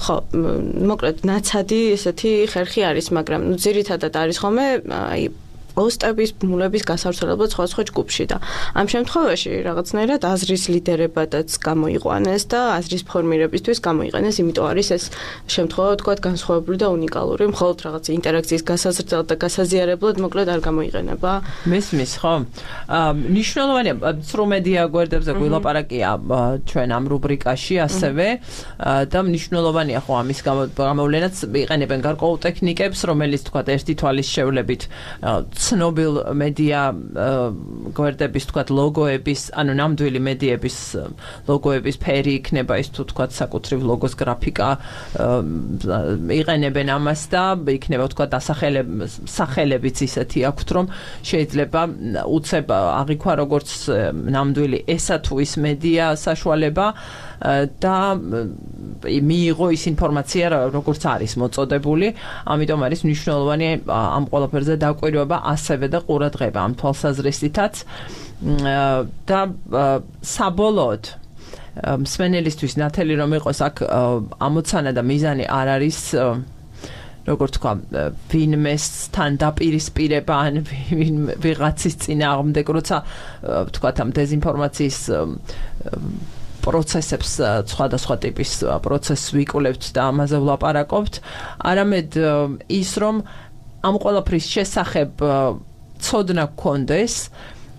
ხო, მოკლედ ნაცადი ესეთი ხერხი არის, მაგრამ ძირითადად არის ხოლმე აი პოსტების ბმულების გასავრცელებლად სხვა ჯგუფში და ამ შემთხვევაში რაღაცნაირად აზრის ლიდერებადაც გამოიყვანეს და აზრის ფორმირებისთვის გამოიყენეს, იმიტომ არის ეს შემთხვევა თქვათ განსხვავებული და უნიკალური, მხოლოდ რაღაც ინტერაქციის გასაზრდად და გასაზიარებლად მოკლედ არ გამოიყენება. მესმის, ხო? ნიშნულოვანია, ცრუ მედია გვერდებზე გვილაპარაკია ჩვენ ამ რუბრიკაში ასევე და ნიშნულოვანია ხო ამის გამოვლენაც იყენებენ გარკვეულ ტექნიკებს, რომელიც თქვათ ერთი თვალის შევლებით ცნობილ მედია გვერდების თქვათ ლოგოების, ანუ ნამდვილი მედიების ლოგოების ფერი იქნება ის თუ თქვათ საკუთრივ ლოგოს გრაფიკა იყენებენ ამას და იქნება თქვათ სახელებიც ისეთი აქვთ, რომ შეიძლება უცებ აღიქვა როგორც ნამდვილი ესა თუ ის მედია საშუალება და მიიღო ის ინფორმაცია როგორც არის მოწოდებული, ამიტომ არის მნიშვნელოვანი ამ ყველაფერზე დაკვირვება ასევე და ყურადღება ამ თვალსაზრისითაც და საბოლოოდ მსმენელისთვის ნათელი რომ იყოს აქ ამოცანა და მიზანი არ არის როგორც თქვა ვინმესთან დაპირისპირება ან ვიღაცის წინააღმდეგ, როცა თქვათ ამ დეზინფორმაციის პროცესებს სხვადასხვა ტიპის პროცესს ვიკვლევთ და ამაზე ვლაპარაკობთ, არამედ ის რომ ამ ყველაფრის შესახებ ცოდნა გქონდეს,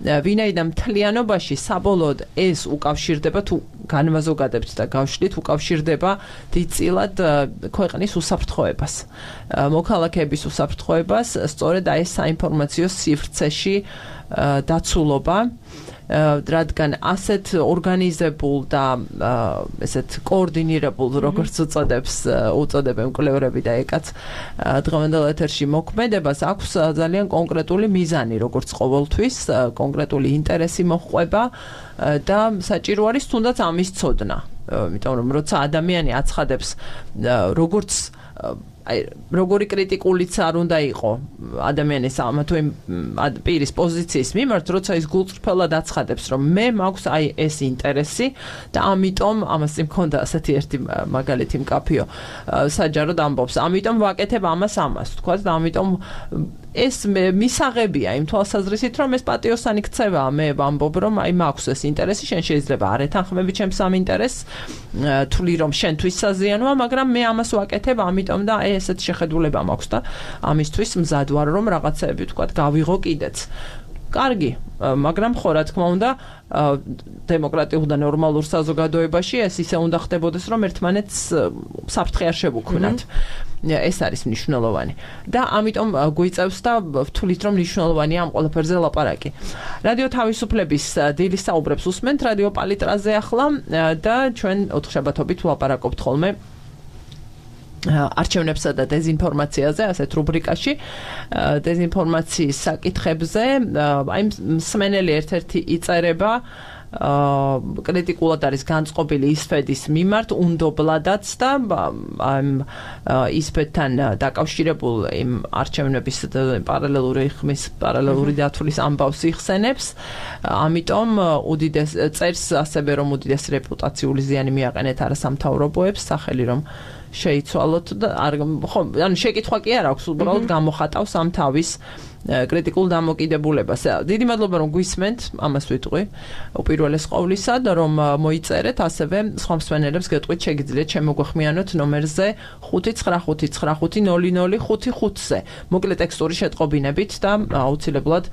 ვინაიდან მთლიანობაში საბოლოოდ ეს უკავშირდება თუ განმაზოგადებთ და გავშლით უკავშირდება დიდწილად ქვეყნის უსაფრთხოებას, მოქალაქეების უსაფრთხოებას, სწორედ აი ეს საინფორმაციო სივრცეში დაცულობა, რადგან ასეთ ორგანიზებულ და ესეთ კოორდინირებულ, როგორც უწოდებენ მკვლევრები და ეკაც დღევანდელ ეთერში მოქმედებას აქვს ძალიან კონკრეტული მიზანი, როგორც ყოველთვის, კონკრეტული ინტერესი მოჰყვება და საჭირო არის თუნდაც ამის ცოდნა. იმიტომ რომ როცა ადამიანი აცხადებს როგორც აი როგორი კრიტიკულიც არ უნდა იყო ადამიანის ამა თუ იმ პირის პოზიციის მიმართ, როცა ის გულწრფელად აცხადებს, რომ მე მაქვს აი ეს ინტერესი და ამიტომ ამას წინ მქონდა ასეთი ერთი მაგალითი მკაფიო საჯაროდ ამბობს, ამიტომ ვაკეთებ ამას, თქვა და ამიტომ ეს მისაღებია იმ თვალსაზრისით, რომ ეს პატიოსანი ქცევაა, მე ვამბობ, რომ აი მაქვს ეს ინტერესი, შენ შეიძლება არ ეთანხმები ჩემს ამ ინტერესს, თვლი რომ შენთვის საზიანოა, მაგრამ მე ამას ვაკეთებ, ამიტომ და აი ესეთ შეხედულება მაქვს და ამისთვის მზად ვარ, რომ რაღაცეები თქვა გავიღო კიდეც. კარგი, მაგრამ ხო რა თქმა უნდა, დემოკრატიულ და ნორმალურ საზოგადოებაში ეს ისე უნდა ხდებოდეს, რომ ერთმანეთს საფრთხე არ შევუქმნათ. ეს არის მნიშვნელოვანი. და ამიტომ გვიწევს და ვთვლით, რომ მნიშვნელოვანია ამ ყველაფერზე ლაპარაკი. რადიო თავისუფლების დილის საუბრებს უსმენთ რადიო პალიტრაზე ახლა და ჩვენ ოთხშაბათობით ვლაპარაკობთ ხოლმე არჩევნებსა და დეზინფორმაციაზე, ასეთ რუბრიკაში, დეზინფორმაციის საკითხებზე, აი მსმენელი ერთ-ერთი იწერება კრიტიკულად არის განწყობილი ისფედის მიმართ, უნდობლადაც და ისფედთან დაკავშირებულ იმ არჩევნების პარალელური ხმის, პარალელური დათვლის ამბავს იხსენებს, ამიტომ წერს ასევე რომ უდიდესი რეპუტაციული ზიანი მიაყენეთ არასამთავრობოებს, სახელი რომ შეიცვალოთ და ანუ შეკითხვა კი არ აქვს, უბრალოდ გამოხატავს ამ თავის კრიტიკულ დამოკიდებულებას. დიდი მადლობა რომ გვისმენთ, ამას ვიტყვი. უპირველეს ყოვლისა, რომ მოიწერეთ, ასევე სხვა მსმენელებს გეტყვით, შეგიძლიათ შემოგვეხმიანოთ ნომერზე 595500555-ზე. მოკლე ტექსტური შეტყობინებით და აუცილებლად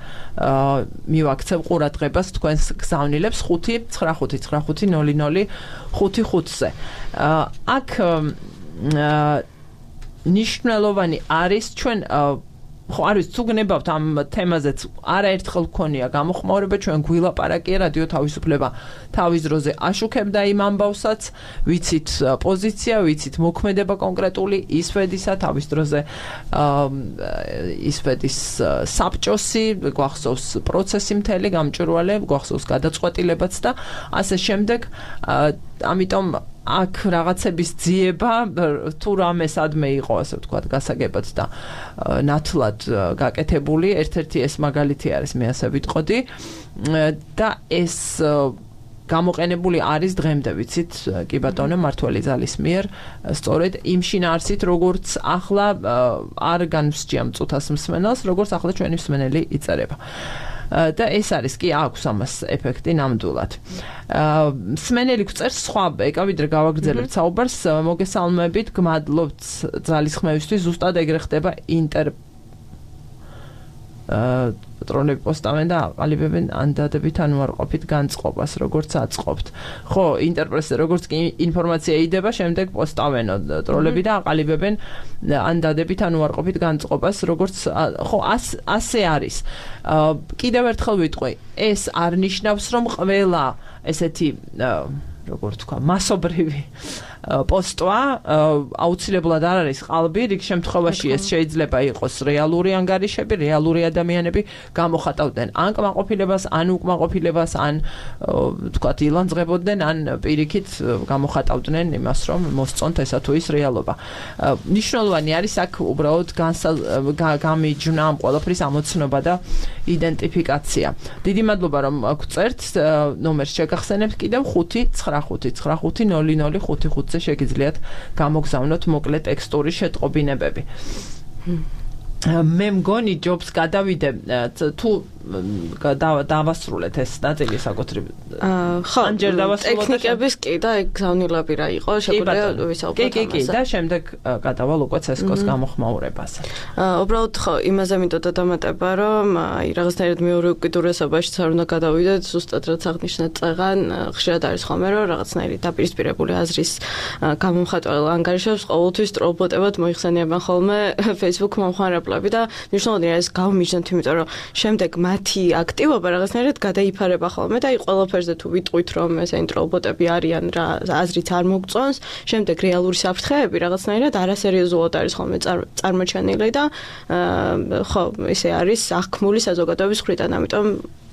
მივაქცევ ყურადღებას თქვენს გზავნილებს 595500555-ზე. აქ ნიშნულოვანი არის ჩვენ ხო არის თუ გნებავთ ამ თემაზეც არაერთხელ გქონია გამოხმაურება ჩვენ გვილაპარაკია რადიო თავისუფლება თავის დროზე აშუქებდა იმ ამბავსაც ვიცით პოზიცია ვიცით მოქმედება კონკრეტული ისვედისა თავის დროზე ისვედის საბჭოსი გვახსოვს პროცესი მთელი გამჭვირვალე გვახსოვს გადაწყვეტილებაც და ასე შემდეგ ამიტომ აქ რაღაცების ძიება თუ რამე სადმე იყო ასე ვთქვათ გასაგებად და ნათლად გაკეთებული ერთ-ერთი ეს მაგალითი არის მე ასე ვიტყოდი და ეს გამოყენებული არის დღემდე ვიცით კი ბატონო მართველი ძალის მიერ სწორედ იმ შინაარსით როგორც ახლა არ განსჯა მწუთას მსმენელს როგორც ახლა ჩვენი მსმენელი იწერება და ეს არის კი აქვს ამას ეფექტი ნამდვილად. მსმენელი გვწერს სხვა ეკავიდრე გავაგრძელებთ საუბარს მოგესალმებით გმადლობთ ძალისხმევისთვის ზუსტად ეგრე ხდება პატრონები პოსტავენ და აყალიბებენ ანდადებით ან უარყოფით განწყობას როგორც აწყობთ. ხო, ინტერპრესზე როგორც კი ინფორმაცია იდება, შემდეგ პოსტავენო ტროლები და აყალიბებენ ანდადებით ან უარყოფით განწყობას, როგორც ხო, ასე არის. კიდევ ერთხელ ვიტყვი, ეს არ ნიშნავს, რომ ყველა ესეთი როგორც თქვა, მასობრივი პოსტვა აუცილებლად არ არის ყალბი, რიგ შემთხვევაში ეს შეიძლება იყოს რეალური ანგარიშები, რეალური ადამიანები გამოხატავდნენ ან კმაყოფილებას, ან უკმაყოფილებას, ან თქვათ ილანძღებოდნენ, ან პირიქით გამოხატავდნენ იმას, რომ მოსწონთ ესა თუ ის რეალობა. მნიშვნელოვანი არის აქ უბრალოდ გამიჯვნა ამ ყველაფრის ამოცნობა და იდენტიფიკაცია. დიდი მადლობა რომ გვწერთ, ნომერს შეგახსენებთ კიდევ 595500555 შეგიძლიათ გამოგზავნოთ მოკლე ტექსტური შეტყობინებები. მე მგონი ჯობს გადავიდე თუ დავასრულეთ ეს ნაწილი საკუთრივ. ხო, ტექნიკების კი და ეგ გზავნილები რა იყო, შეგვიძლია ვისაუბროთ ამაზე. კი, და შემდეგ გადავალ უკვე CSGO-ს გამოხმაურებაზე. უბრალოდ ხო, იმაზე მინდოდა დამატება, რომ აი რაღაცნაირად მეორე უკიდურესობაში არ უნდა გადავიდეთ, ზუსტად რაც აღნიშნეთ წეღან, ხშირად არის ხოლმე რომ რაღაცნაირი დაპირისპირებული აზრის გამომხატველ ანგარიშებს ყოველთვის ტროლბოტებად მოიხსენიებენ ხოლმე Facebook მომხმარებლები და მნიშვნელოვანი არის გავმიჯნოთ, იმიტომ რომ შემდეგ მათი აქტივობა რაღაცნაირად გადაიფარება ხოლმე და აი ყველაფერზე თუ ვიტყვით რომ ეს ინტროლბოტები არიან რა აზრით არ მოგწონს, შემდეგ რეალური საფრთხეები რაღაცნაირად არასერიოზულად არის ხოლმე წარმოჩენილი და ხო, ესე არის აღქმული საზოგადოების მხრიდან, ამიტომ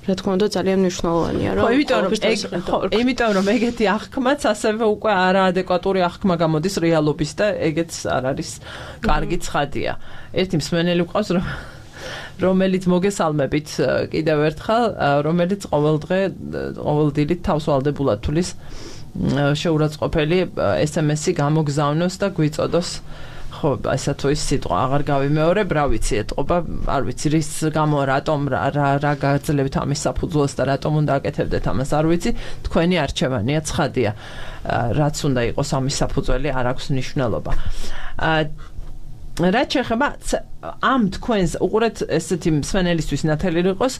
რა თქმა უნდა ძალიან მნიშვნელოვანია რომ იმიტომ რომ ეგეთი აღქმაც ასევე უკვე არაადეკვატური აღქმა გამოდის რეალობის და ეგეც არ არის კარგი ცხადია. ერთი მსმენელი გვყავს რომელიც მოგესალმებით კიდევ ერთხელ, რომელიც ყოველ დილით თავს ვალდებულად თulis შეურაცხყოფელი SMS-ი გამოგზავნოს და გვიწოდოს ხო, ასე თუ ის სიტყვა აღარ გავიმეორებ, რა ვიცი ეტყობა, არ ვიცი რის გამო რატომ რა გაძლევთ ამის საფუძველს და რატომ უნდა აკეთებდეთ ამას, არ ვიცი, თქვენი არჩევანია, ცხადია. რაც უნდა იყოს ამის საფუძველი, არ აქვს მნიშვნელობა. რაც შეეხება ამ თქვენს უყურეთ ესეთი მსმენელისთვის ნათელი იყოს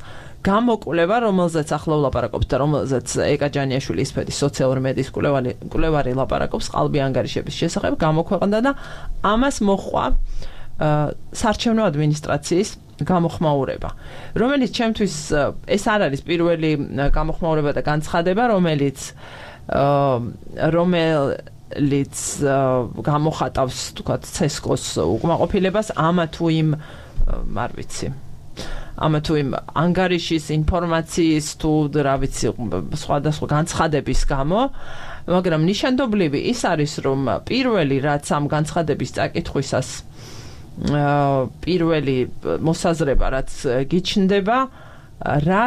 გამოკვლევა, რომელზეც ახლა ვლაპარაკობთ და რომელზეც ეკა ჯანიაშვილი ისფედის სოციალური მედიის კვლევარი ლაპარაკობს ყალბი ანგარიშების შესახებ, გამოქვეყნდა და ამას მოჰყვა საარჩევნო ადმინისტრაციის გამოხმაურება, რომელიც ჩემთვის ეს არ არის პირველი გამოხმაურება და განცხადება, რომელიც გამოხატავს თქვათ CSGO-ს უკმაყოფილებას ამა თუ იმ არ ვიცი ამა თუ იმ ანგარიშის ინფორმაციის თუ რა ვიცი სხვადასხვა განცხადების გამო, მაგრამ ნიშანდობლივი ის არის რომ პირველი რაც ამ განცხადების წაკითხვისას პირველი მოსაზრება რაც გიჩნდება რა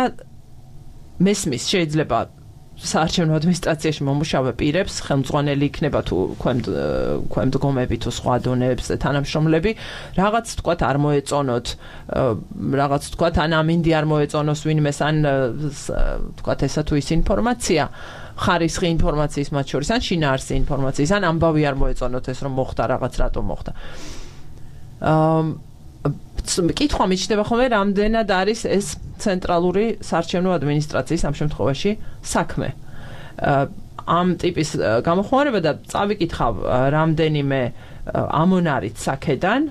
მესმის შეიძლება საარჩევნო ადმინისტრაციაში მომუშავე პირებს ხელმძღვანელი იქნება თუ ქვემდგომები თუ სხვა დონეებზე თანამშრომლები რაღაც თქვათ არ მოეწონოთ რაღაც თქვათ ან ამინდი არ მოეწონოს ვინმეს ან თქვათ ესა თუ ის ინფორმაცია ხარისხი ინფორმაციის მათ შორის ან შინაარსი ინფორმაციის ან ამბავი არ მოეწონოთ ეს რომ მოხდა რაღაც რატომ მოხდა კითხვა მიჩნდება ხოლმე რამდენად არის ეს ცენტრალური საარჩევნო ადმინისტრაციის ამ შემთხვევაში საქმე ამ ტიპის გამოხმარება და წავიკითხავ რამდენიმე ამონარით საქედან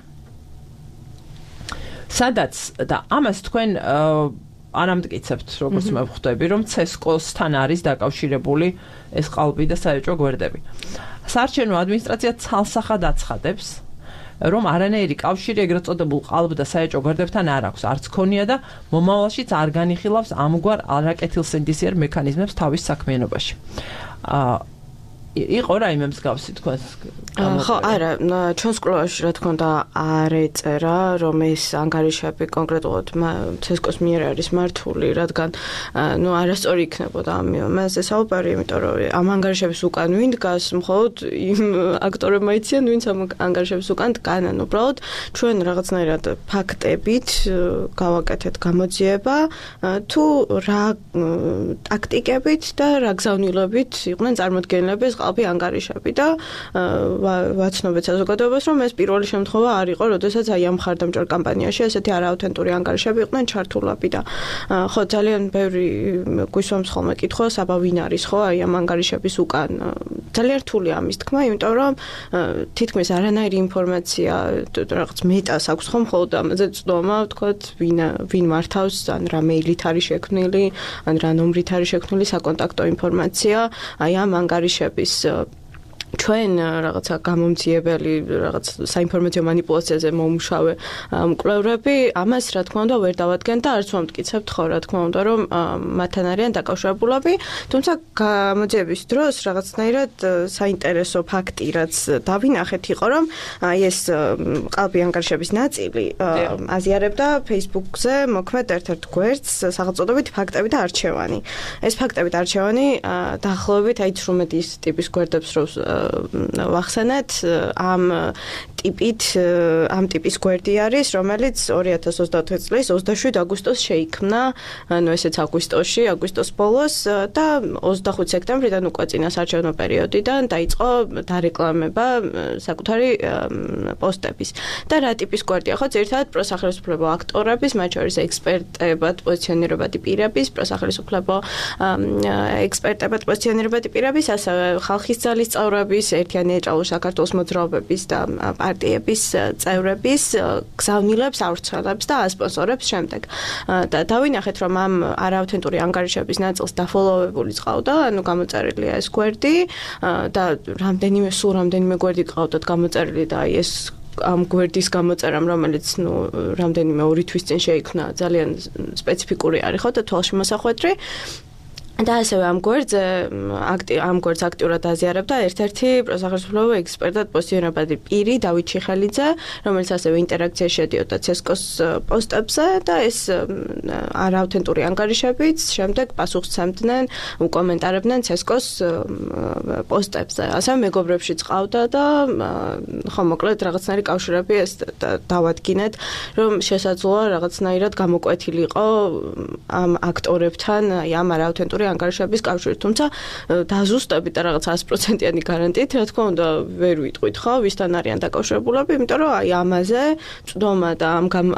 სადაც და ამას თქვენ არ ამტკიცებთ როგორც მე ვხვდები რომ CESCO-სთან არის დაკავშირებული ეს ყალბი და საეჭვო გვერდები საარჩევნო ადმინისტრაცია ცალსახად აცხადებს რომ არანაირი კავშირი ეგრეთ წოდებულ ყალბ და საეჭვო გვერდებთან არ აქვს არც ქონია და მომავალშიც არ განიხილავს ამგვარ არაკეთილსინდისიერ მექანიზმებს თავის საქმიანობაში იყო რაიმე მსგავსი თქვენ ხო არა ჩვენს კვლევაში რა თქმა უნდა არ ეწერა რომ ეს ანგარიშები კონკრეტულად CESCO-ს მიერ არის მართული რადგან არასწორი იქნებოდა ამაზე საუბარი იმიტომ რომ ამ ანგარიშების უკან ვინ დგას მხოლოდ იმ აქტორებმა იციან ვინც ამ ანგარიშების უკან დგანან უბრალოდ ჩვენ რაღაცნაირად ფაქტებით გავაკეთეთ გამოძიება თუ რა ტაქტიკებით და რა გზავნილებით იყვნენ წარმოდგენილები ეს ყალბი ანგარიშები და ვაცნობეთ საზოგადოებას რომ ეს პირველი შემთხვევა არ იყო, როდესაც აი ამ მხარდამჭერ კამპანიაში ესეთი არააუთენტური ანგარიშები იყვნენ ჩართულები და ხო ძალიან ბევრი გვისვამს ხოლმე კითხავს, აბა ვინ არის ხო აი ამ ანგარიშების უკან. ძალიან რთულია ამის თქმა, იმიტომ რომ თითქმის არანაირი ინფორმაცია რაღაც მეტას აქვს ხომ მხოლოდ ამაზე წვდომა, ვთქვათ, ვინ მართავს, ან რა მეილით არის შექმნილი, ან რა ნომრით არის შექმნილი საკონტაქტო ინფორმაცია, აი ამ ანგარიშების ჩვენ რაღაცა გამომძიებელი რაღაც საინფორმაციო манипуляციაზე მომუშავე მკვლევრები ამას რა თქმა უნდა ვერ დავადგენთ და არც ვამტკიცებთ ხო რა თქმა უნდა რომ მათთან არიან დაკავშირებულები თუმცა გამოძიების დროს რაღაცნაირად საინტერესო ფაქტი რაც დავინახეთ იყო რომ აი ეს ყალბი ანგარიშების ნაწილი აზიარებდა Facebook-ზე მოქმედ ერთ-ერთ გვერდს სახელწოდებით ფაქტები და არჩევანი ეს ფაქტები და არჩევანი დაახლოებით აი 18 ტიპის გვერდებს რო ვახსენეთ ამ ტიპის გვერდი არის, რომელიც 2024 წლის 27 აგვისტოს შეიქმნა, ანუ ესეც აგვისტოს ბოლოს და 25 სექტემბრიდან უკვე წინა საარჩევნო პერიოდიდან დაიწყო დარეკლამება საკუთარი პოსტების. და რა ტიპის გვერდია, ხო, ძირითადად პროსახელისუფლებო აქტორების, მათ შორის ექსპერტებად პოზიციონირებადი პირების, პროსახელისუფლებო ექსპერტებად პოზიციონირებადი პირების, ასევე ხალხის ძალის წევრების, ერთიანი ეჭალურ საქართველოს მოძრაობების და პარტიების წევრების გზავნილებს, ავრცელებს და ასპონსორებს შემდეგ. და დავინახეთ, რომ ამ არააუთენტური ანგარიშების ნაწილს დაფოლოვებული ყავდა, ანუ გამოწერილია ეს გვერდი და რამდენიმე გვერდი ყავდათ გამოწერილი და ეს ამ გვერდის გამოწერამ, რომელიც რამდენიმე 2 თვის წინ შეიქმნა, ძალიან სპეციფიკური არის, ხო და თვალში მოსახვედრი. და ასევე ამ გვერდს აქტიურად აზიარებდა ერთ-ერთი პროსახელისუფლებო ექსპერტად პოზიციონირებადი პირი დავით ჩიხელიძე, რომელიც ასევე ინტერაქციაში შედიოდა CESCO-ს პოსტებზე და ეს არააუთენტური ანგარიშებიც შემდეგ პასუხს სცემდნენ, უკომენტარებდნენ CESCO-ს პოსტებზე. ასევე მეგობრებშიც ყავდა და ხო მოკლედ რაღაცნაირი კავშირები ეს დავადგინეთ, რომ შესაძლოა რაღაცნაირად გამოკვეთილიყო ამ აქტორებთან, აი ამ არააუთენტური ანგარიშების კავშირით, თუმცა დაზუსტებით და რაღაც 100%-იანი გარანტიით, რა თქმა უნდა, ვერ ვიტყვით ხო, ვისთან არიან დაკავშირებულები, იმიტომ რომ აი ამაზე წვდომა და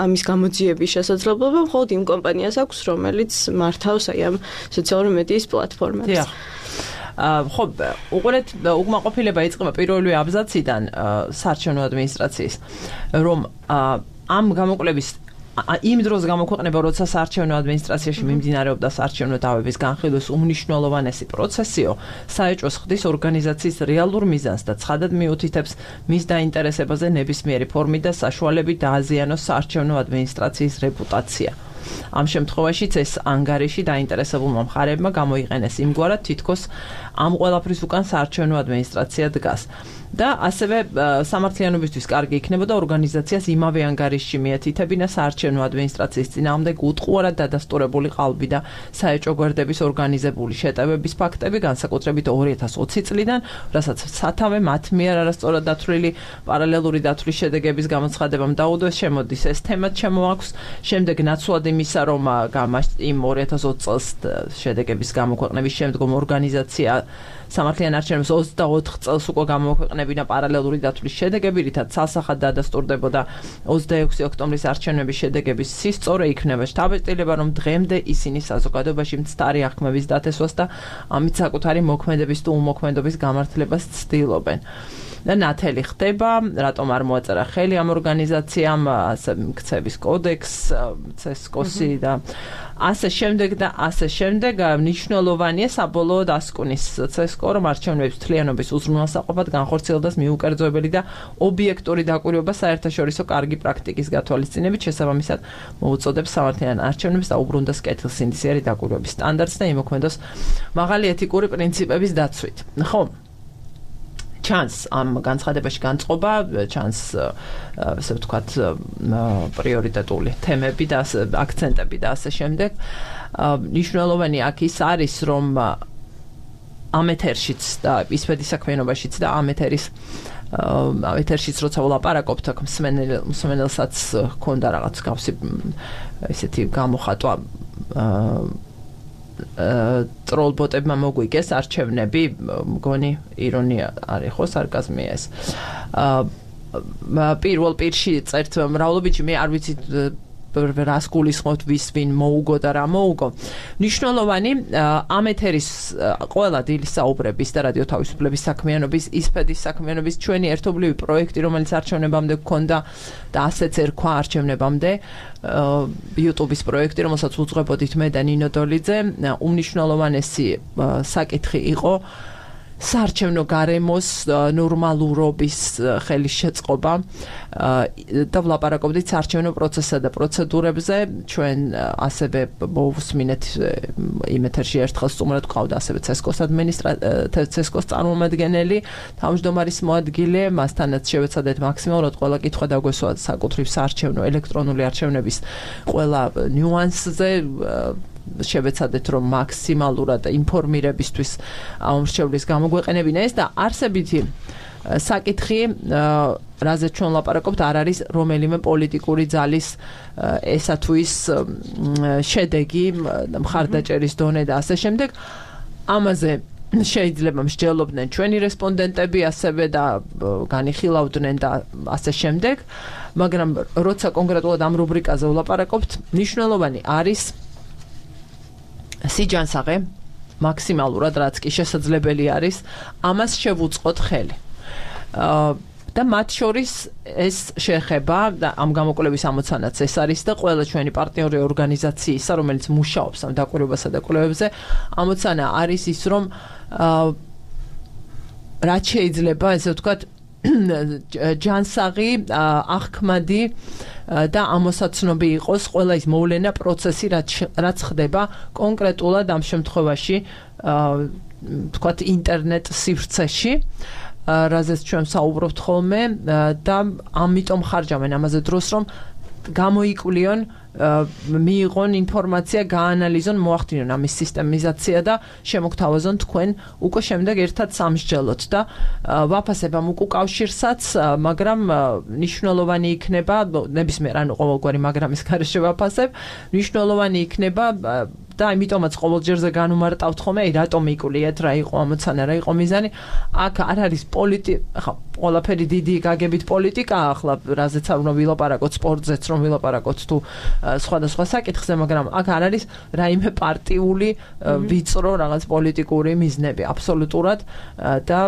ამის გამოძიების შესაძლებლობა მხოლოდ იმ კომპანიას აქვს, რომელიც მართავს აი ამ სოციალური მედიის პლატფორმებს. ხო, უყურეთ, უკმაყოფილება იწყება პირველი აბზაციდან საარჩევნო ადმინისტრაციის, რომ ამ გამოკვლევის იმ დროს გამოქვეყნება, როცა საარჩევნო ადმინისტრაციაში მიმდინარეობდა საარჩევნო დავების განხილვის უმნიშვნელოვანესი პროცესიო, საეჭვოს ხდის ორგანიზაციის რეალურ მიზანს და ცხადად მიუთითებს მის დაინტერესებაზე ნებისმიერი ფორმით და საშუალებით დააზიანოს საარჩევნო ადმინისტრაციის რეპუტაცია. ამ შემთხვევაშიც ეს ანგარიში დაინტერესებულმა მხარეებმა გამოიყენეს იმგვარად, თითქოს ამ ყველაფრის უკან საარჩევნო ადმინისტრაცია დგას. და ასევე სამართლიანობისთვის კარგი იქნებოდა ორგანიზაციას იმავე ანგარიშში მიეთითებინა საარჩევნო ადმინისტრაციის წინააღმდეგ უტყუარად დადასტურებული ყალბი და საეჭვო გვერდების ორგანიზებული შეტევების ფაქტები, განსაკუთრებით 2020 წლიდან, რასაც სათავე მათ მიერ არასწორად დათვლილი პარალელური დათვლის შედეგების გამოცხადებამ დაუდოს, შემოდის ეს თემა შემოაქვს. შემდეგ ნაცვლად იმისა, რომ იმ 2020 წელს შედეგების გამოქვეყნების შემდგომ ორგანიზაცია სამართლიან არჩევნებს 24 წელს უკვე გამოქვეყნებინა პარალელური დათვლის შედეგები, რითაც ცალსახად დადასტურდებოდა 26 ოქტომბრის არჩევნების შედეგების სისწორე, იქნება შთაბეჭდილება, რომ დღემდე ისინი საზოგადოებაში მცდარი აღქმების დათესვას და ამით საკუთარი მოქმედების თუ უმოქმედობის გამართლებას ცდილობენ. და ნათელი ხდება, რატომ არ მოაწერა ხელი ამ ორგანიზაციამ, ასე ქცევის კოდექს, CESCO-ი და ასე შემდეგ, მნიშვნელოვანია საბოლოოდ ასკუნის CESCO, რომ არჩევნების მთლიანობის უზრუნველსაყოფად განხორციელდეს მიუკერძოებელი და ობიექტური დაკვირვება საერთაშორისო კარგი პრაქტიკის გათვალისწინებით, შესაბამისად მოუწოდებს სამართლიან არჩევნებს და უბრუნდეს კეთილსინდისიერი დაკვირვების სტანდარტს და იმოქმედოს მაღალი ეთიკური პრინციპების დაცვით. ხო? ჩანს ამ განცხადებაში განწყობა, ჩანს ასე ვთქვათ პრიორიტეტული თემები და აქცენტები და ასე შემდეგ. მნიშვნელოვანი აქ ის არის, რომ ამ ეთერშიც და ისფედის საქმიანობაშიც და ამ ეთერშიც როცა ვლაპარაკობთ, აქ მსმენელსაც ჰქონდა რაღაც გავსი ესეთი გამოხატვა ტროლბოტებმა მოგვიგეს არჩევნები, მგონი ირონია არის ხო, სარკაზმია ეს. პირველ პირში წერთ მრავლობითში, მე არ ვიცი რას გულისხმობთ, ვის ვინ მოუგო და რა მოუგო. მნიშვნელოვანი ამ ეთერის ყველა დილის საუბრების და რადიო თავისუფლების საქმიანობის, ისფედის საქმიანობის ჩვენი ერთობლივი პროექტი, რომელიც არჩევნებამდე გქონდა და ასეც ერქვა არჩევნებამდე, YouTube-ის პროექტი, რომელსაც უძღვებოდით მე და ნინო დოლიძე, უმნიშვნელოვანესი საკითხი იყო საარჩევნო გარემოს ნორმალურობის ხელის შეწყობა და ვლაპარაკობდით საარჩევნო პროცესსა და პროცედურებზე. ჩვენ ასევე მოვუსმინეთ იმ ეთერში ერთხელ სტუმრად გვყავდა ასევე CESCO-ს წარმომადგენელი, თავმჯდომარის მოადგილე, მასთანაც შევეცადეთ მაქსიმალურად ყველა კითხვა დაგვესვა საკუთრივ საარჩევნო ელექტრონული არჩევნების ყველა ნიუანსზე, შევეცადეთ რომ მაქსიმალურად ინფორმირებისთვის ამ მრჩევლის გამოგვეყენებინა ეს და არსებითი საკითხი, რაზეც ჩვენ ლაპარაკობთ, არ არის რომელიმე პოლიტიკური ძალის ესა თუ ის შედეგი, მხარდაჭერის დონე და ასე შემდეგ. ამაზე შეიძლება მსჯელობდნენ ჩვენი რესპონდენტები, ასევე და განიხილავდნენ და ასე შემდეგ, მაგრამ როცა კონკრეტულად ამ რუბრიკაზე ვლაპარაკობთ, მნიშვნელოვანი არის სიჯანსაღე მაქსიმალურად, რაც კი შესაძლებელი არის, ამას შევუწყოთ ხელი. და მათ შორის ეს შეხება და ამ გამოკვლევის ამოცანაც ეს არის და ყველა ჩვენი პარტნიორი ორგანიზაციისა, რომელიც მუშაობს ამ დაკვირვებასა და კვლევებზე, ამოცანა არის ის, რომ რაც შეიძლება, ესე ვთქვათ, ჯანსაღი, აღქმადი და ამოსაცნობი იყოს ყველა ის მოვლენა, პროცესი, რაც ხდება კონკრეტულად ამ შემთხვევაში, ვთქვათ, ინტერნეტ სივრცეში, რაზეც ჩვენ საუბრობთ ხოლმე და ამიტომ ხარჯავენ ამაზე დროს, რომ გამოიკვლიონ, მიიღონ ინფორმაცია, გაანალიზონ, მოახდინონ ამის სისტემიზაცია და შემოგთავაზონ თქვენ უკვე შემდეგ ერთად სამსჯელოთ და ვაფასებ ამ უკავშირსაც, მაგრამ მნიშვნელოვანი იქნება, ნებისმიერ ანუ ყოველგვარი მაგრამის გარეშე ვაფასებ, მნიშვნელოვანი იქნება და იმიტომაც ყოველჯერზე განუმარტავთ ხოლმე, რატომ იკვლიეთ, რა იყო ამოცანა, რა იყო მიზანი. აქ არ არის ახლა ყველაფერი დიდი გაგებით პოლიტიკაა, ახლა რაზეც არ უნდა ვილაპარაკოთ, სპორტზეც რომ ვილაპარაკოთ თუ სხვადასხვა საკითხზე, მაგრამ აქ არ არის რაიმე პარტიული ვიწრო რაღაც პოლიტიკური მიზნები აბსოლუტურად და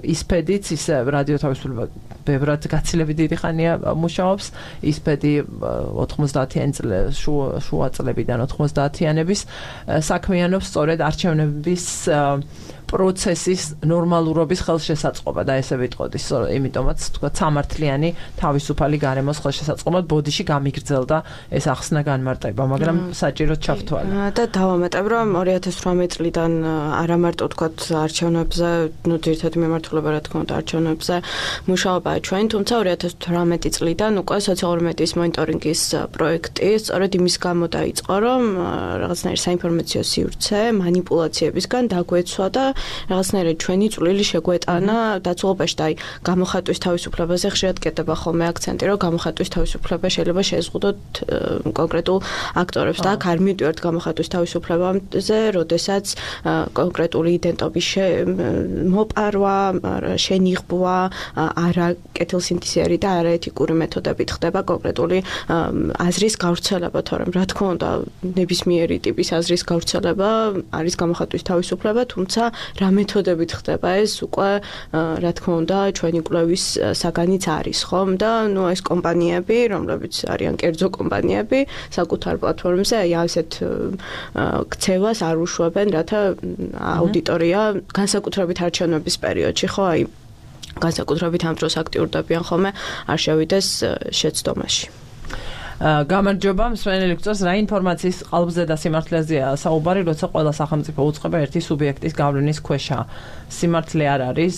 ისფედიც ისე რადიო თავისუფლება ბევრად გაცილებით დიდი ხანია მუშაობს, ისფედი 90-იან შუა წლებიდან 90-იანების საქმიანობს სწორედ არჩევნების პროცესის ნორმალურობის ხელშესაწყობა და ესე ვიტყოდი, იმიტომაც თქვა სამართლიანი თავისუფალი გარემოს ხელშესაწყობად ბოდიში გამიგრძელდა ეს ახსნა განმარტება, მაგრამ საჭიროდ ჩავთვალე. და დავამატებ, რომ 2018 წლიდან არა მარტო თქვა არჩევნებზე, ძირითადად მიმართულება რა თქმა უნდა არჩევნებზე მუშაობაა ჩვენ, თუმცა 2018 წლიდან უკვე სოციალური მედიის მონიტორინგის პროექტი სწორედ იმის გამო დაიწყო, რომ რაღაცნაირი საინფორმაციო სივრცე მანიპულაციებისგან დაგვეცვა და რაღაცნაირად ჩვენი წვლილი შეგვეტანა დაცულობაში და აი გამოხატვის თავისუფლებაზე ხშირად კეთდება ხოლმე აქცენტი, რომ გამოხატვის თავისუფლება შეიძლება შეეზღუდოთ კონკრეტულ აქტორებს და აქ არ მივდივართ გამოხატვის თავისუფლებაზე, როდესაც კონკრეტული იდენტობის მოპარვა, შენიღბვა, არა კეთილსინთეზიერი და არაეთიკური მეთოდებით ხდება კონკრეტული აზრის გავრცელება, თორემ რა თქმა უნდა ნებისმიერი ტიპის აზრის გავრცელება არის გამოხატვის თავისუფლება, თუმცა რა მეთოდებით ხდება ეს უკვე რა თქმა უნდა ჩვენი კვლევის საგანიც არის, ხომ? და ნუ ეს კომპანიები, რომლებიც არიან კერძო კომპანიები, საკუთარ პლატფორმებზე აი ასეთ ქცევას არ უშვებენ, რათა აუდიტორია განსაკუთრებით არჩევნების პერიოდში, ხო, აი განსაკუთრებით ამ დროს აქტიურდებიან ხოლმე, არ შევიდეს შეცდომაში. გამარჯობა, მსმენელი გწევს, რა ინფორმაციის ყალბზე და სიმართლეზეა საუბარი, როცა ყველა სახელმწიფო უწყება ერთი სუბიექტის გავლენის ქვეშა. სიმართლე არ არის,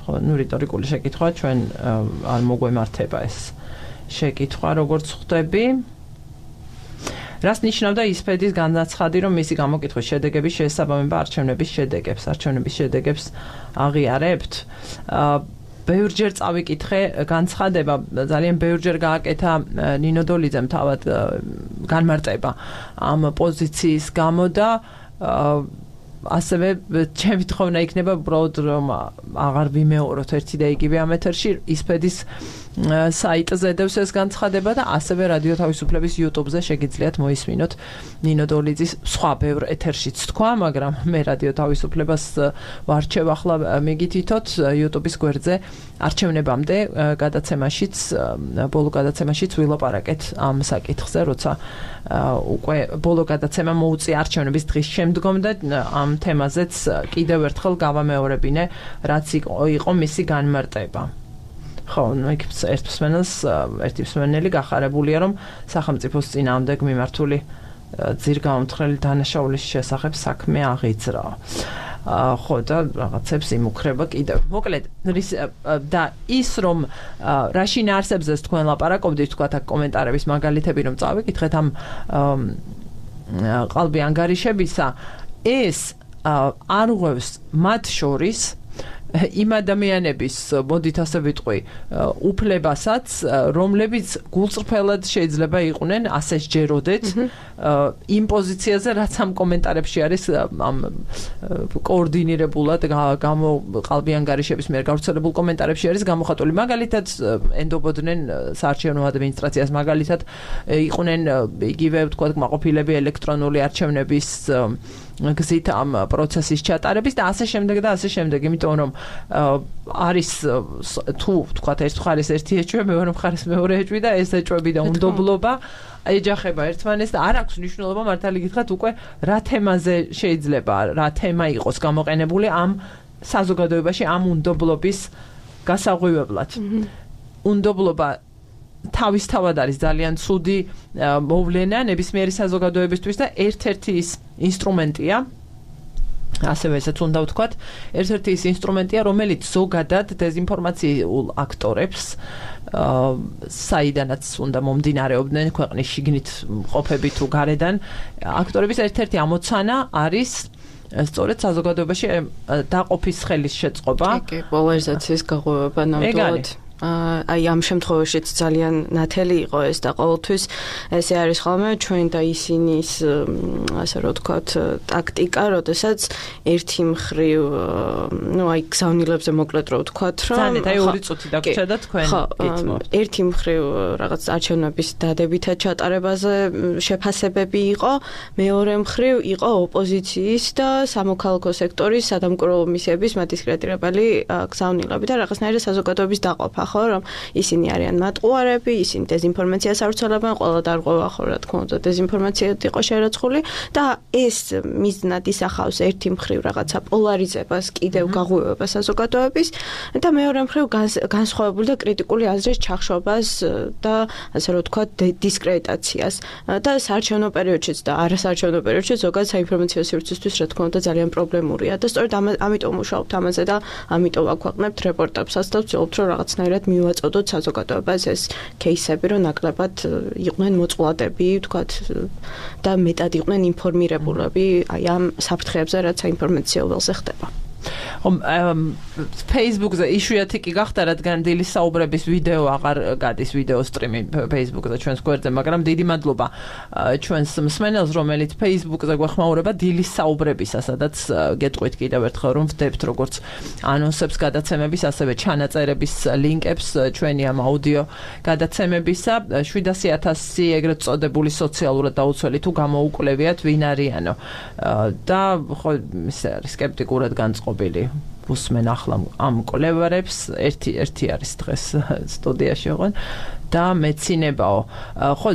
ხო, ნუ რიტორიკული შეკითხვა, ჩვენ არ მოგვემართება ეს შეკითხვა, როგორც ხვდები. რას ნიშნავდა ისფედის განაცხადი, რომ მისი გამოკითხვის შედეგების შესაბამება არჩევნების შედეგებს აღიარებთ? ბევრჯერ წავიკითხე განცხადება, ძალიან ბევრჯერ გააკეთა ნინო დოლიძემ თავად განმარტება ამ პოზიციის გამო და ასევე ჩემი თხოვნა იქნება უბრალოდ რომ აღარ ვიმეოროთ ერთი და იგივე ამ ეთერში ისფედის საიტზე დევს ეს განცხადება და ასევე რადიო თავისუფლების YouTube-ზე შეგიძლიათ მოისმინოთ ნინო დოლიძის სხვა ბევრ ეთერშიც თქვა, მაგრამ მე რადიო თავისუფლებას ვარჩევ ახლა მიგითითოთ YouTube-ის გვერდზე არჩევნებამდე გადაცემაშიც, ბოლო გადაცემაშიც ვილაპარაკეთ ამ საკითხზე, როცა უკვე ბოლო გადაცემა მოუწია არჩევნების დღის შემდგომ და ამ თემაზეც კიდევ ერთხელ გავამეორებინე, რაც იყო მისი განმარტება. ხო, ერთი მსმენელი გახარებულია, რომ სახელმწიფოს წინააღმდეგ მიმართული ძირგაუმთხრელი დანაშაულის შესახებ საქმე აღიძრა. ხო, და რაღაცებს იმუქრება კიდევ. მოკლედ, და ის რომ რაში ნაარსებზეც თქვენ ლაპარაკობდით, თქვათ აქ კომენტარების მაგალითები რომ წავიკითხეთ ამ ყალბი ანგარიშებისა, ეს არ ღვევს მათ შორის იმ ადამიანების, მოდით ასე ვიტყვი, უფლებასაც, რომლებიც გულწრფელად შეიძლება იყვნენ, ასე სჯეროდეთ, იმ პოზიციაზე, რაც ამ კომენტარებში არის ამ კოორდინირებულად ყალბი ანგარიშების მიერ გავრცელებულ კომენტარებში არის გამოხატული. მაგალითად, ენდობოდნენ საარჩევნო ადმინისტრაციას, მაგალითად, იყვნენ იგივე, თქვა, კმაყოფილები ელექტრონული არჩევნების გზით ამ პროცესის ჩატარების და ასე შემდეგ და ასე შემდეგ, იმიტომ რომ არის თუ თქვა ეს მხარის ერთი ეჭვი, მეორე მხარის მეორე ეჭვი და ეს ეჭვები და უნდობლობა ეჯახება ერთმანეთს და არ აქვს მნიშვნელობა მართალი გითხრათ უკვე რა თემაზე შეიძლება რა თემა იყოს გამოყენებული ამ საზოგადოებაში ამ უნდობლობის გასაღვივებლად. უნდობლობა თავისთავად არის ძალიან ცუდი მოვლენა ნებისმიერი საზოგადოებისთვის და ერთ-ერთი ის ინსტრუმენტია, ასევე ესეც უნდა ვთქვათ, ერთ-ერთი ის ინსტრუმენტია, რომელიც ზოგადად დეზინფორმაციულ აქტორებს, საიდანაც უნდა მომდინარეობდნენ ქვეყნის შიგნით მყოფები თუ გარედან, აქტორების ერთ-ერთი ამოცანა არის სწორედ საზოგადოებაში დაყოფის ხელის შეწყობა. კი, პოლარიზაციის გაღვივება ნამდვილად. აი ამ შემთხვევაშიც ძალიან ნათელი იყო ეს და ყოველთვის ესე არის ხოლმე ჩვენ და ისინის ასე რომ ვთქვათ ტაქტიკა, როდესაც ერთი მხრივ ნუ აი გზავნილებზე მოკლედ რომ ვთქვათ, რომ ძალიან აი 2 წუთი დაგვრჩა და თქვენ გითმობთ. ერთი მხრივ რაღაც არჩევნების დადებითად ჩატარებაზე შეფასებები იყო, მეორე მხრივ იყო ოპოზიციის და სამოქალაქო სექტორის სადამკვირვებლო მისიების მათი სკრეტირებელი გზავნილები და რაღაცნაირი საზოგადოების დაყოფა. ხო, რომ ისინი არიან მატყუარები, ისინი დეზინფორმაციას ავრცელებენ, ყველა დარღვევა ხო, რა თქმა უნდა, დეზინფორმაციად იყო შერაცხული და ეს მიზნად ისახავს ერთი მხრივ რაღაცა პოლარიზებას, კიდევ გაღვივებას საზოგადოების და მეორე მხრივ განსხვავებული და კრიტიკული აზრის ჩახშობას და ასე რომ ვთქვათ დისკრედიტაციას და საარჩევნო პერიოდშიც და არასაარჩევნო პერიოდშიც ზოგადად საინფორმაციო სივრცისთვის რა თქმა უნდა ძალიან პრობლემურია და სწორედ ამიტომ მუშაობთ ამაზე და ამიტომ აქვეყნებთ რეპორტაჟსაც და ვცდილობთ რომ რაღაცნაირად მივაწოდოთ საზოგადოებას ეს кейსები რომ ნაკლებად იყვნენ მოწყვლადები ვთქვათ და მეტად იყვნენ ინფორმირებულები აი ამ საფრთხეებზე რაც საინფორმაციო ველზე ხდება Facebook-ზე იშვიათი კი გახდა, რადგან დილის საუბრების ვიდეო აღარ გადის ვიდეო სტრიმი Facebook-ზე ჩვენს გვერდზე, მაგრამ დიდი მადლობა ჩვენს მსმენელს, რომელიც Facebook-ზე გვეხმაურება დილის საუბრებისა, სადაც გეტყვით კიდევ ერთხელ, რომ ვდებთ როგორც ანონსებს გადაცემების, ასევე ჩანაწერების ლინკებს ჩვენი ამ აუდიო გადაცემებისა. 700,000 ეგრეთ წოდებული სოციალურად დაუცველი თუ გამოუკვლევიათ ვინ არიანო. და ხო სკეპტიკურად განწყობილი უსმენ ახლა ამ კოლევარებს ერთი არის დღეს სტუდიაში ოღონ და მეცინებაო ხო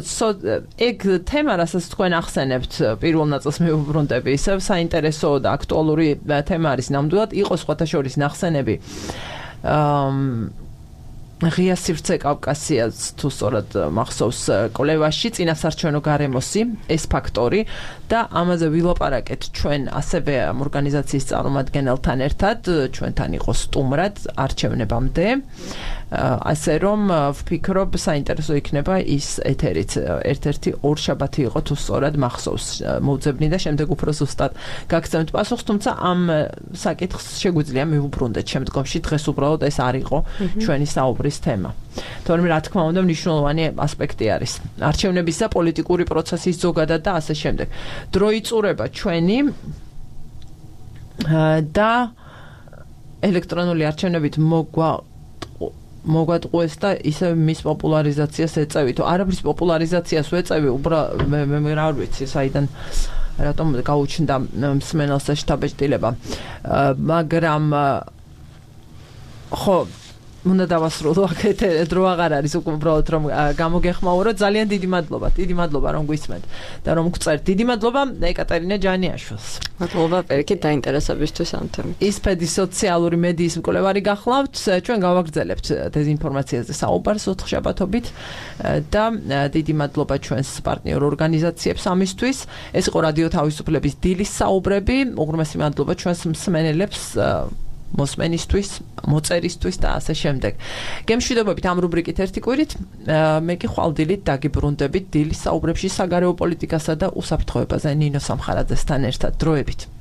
ეგ თემა რასაც თქვენ ახსენებთ პირველ ნაწილს მივუბრუნდები ისევ საინტერესო და აქტუალური თემა არის ნამდვილად იყო სხვათა შორის ნახსენები ღია სივრცე კავკასიას თუ სწორად მახსოვს კოლევაში წინასაარჩევნო გარემოსი ეს ფაქტორი და ამაზე ვილაპარაკეთ ჩვენ ასევე ამ ორგანიზაციის წარმომადგენელთან ერთად ჩვენთან იყო სტუმრად არჩევნებამდე ასე რომ ვფიქრობ საინტერესო იქნება ის ეთერიც ერთ-ერთი ორშაბათი იყო თუ სწორად მახსოვს მოვძებნი და შემდეგ უფრო ზუსტად გაგცემთ პასუხს თუმცა ამ საკითხს შეგვიძლია მივუბრუნდეთ შემდგომში დღეს უბრალოდ ეს არ იყო ჩვენი საუბრის თემა თორემ რა თქმა უნდა მნიშვნელოვანი ასპექტი არის არჩევნების და პოლიტიკური პროცესის ზოგადად და ასე შემდეგ დრო იწურება ჩვენი და ელექტრონული არჩევნებით მოგვატყუეს და ისე მის პოპულარიზაციას ეწევით. არაფრის პოპულარიზაციას ვეწევი, უბრალოდ მე რა ვიცი, საიდან რატომ გაუჩნდა მსმენელს შთაბეჭდილება. მაგრამ ხო უნდა დავასრულო აქეთ დრო აღარ არის უბრალოდ რომ გამოგეხმაურო ძალიან დიდი მადლობა რომ გვისმენთ და რომ გწერთ დიდი მადლობა ეკატერინა ჯანიაშვილს მადლობა პერკით დაინტერესებისთვის ამ თემით ისფედის სოციალური მედიის მკვლევარი გახლავთ ჩვენ გავაგრძელებთ დეზინფორმაციაზე საუბარს ოთხშაბათობით და დიდი მადლობა ჩვენს პარტნიორ ორგანიზაციებს ამისთვის ეს იყო რადიო თავისუფლების დილის საუბრები უღრმესი მადლობა ჩვენს მსმენელებს მოსმენისთვის, მოწერისთვის და ასე შემდეგ. გემშვიდობებით ამ რუბრიკით ერთი კვირით, მე კი ხვალდილით დაგიბრუნდებით დილის საუბრებში საგარეო პოლიტიკასა და უსაფრთხოებაზე ნინო სამხარაძესთან ერთად. დროებით.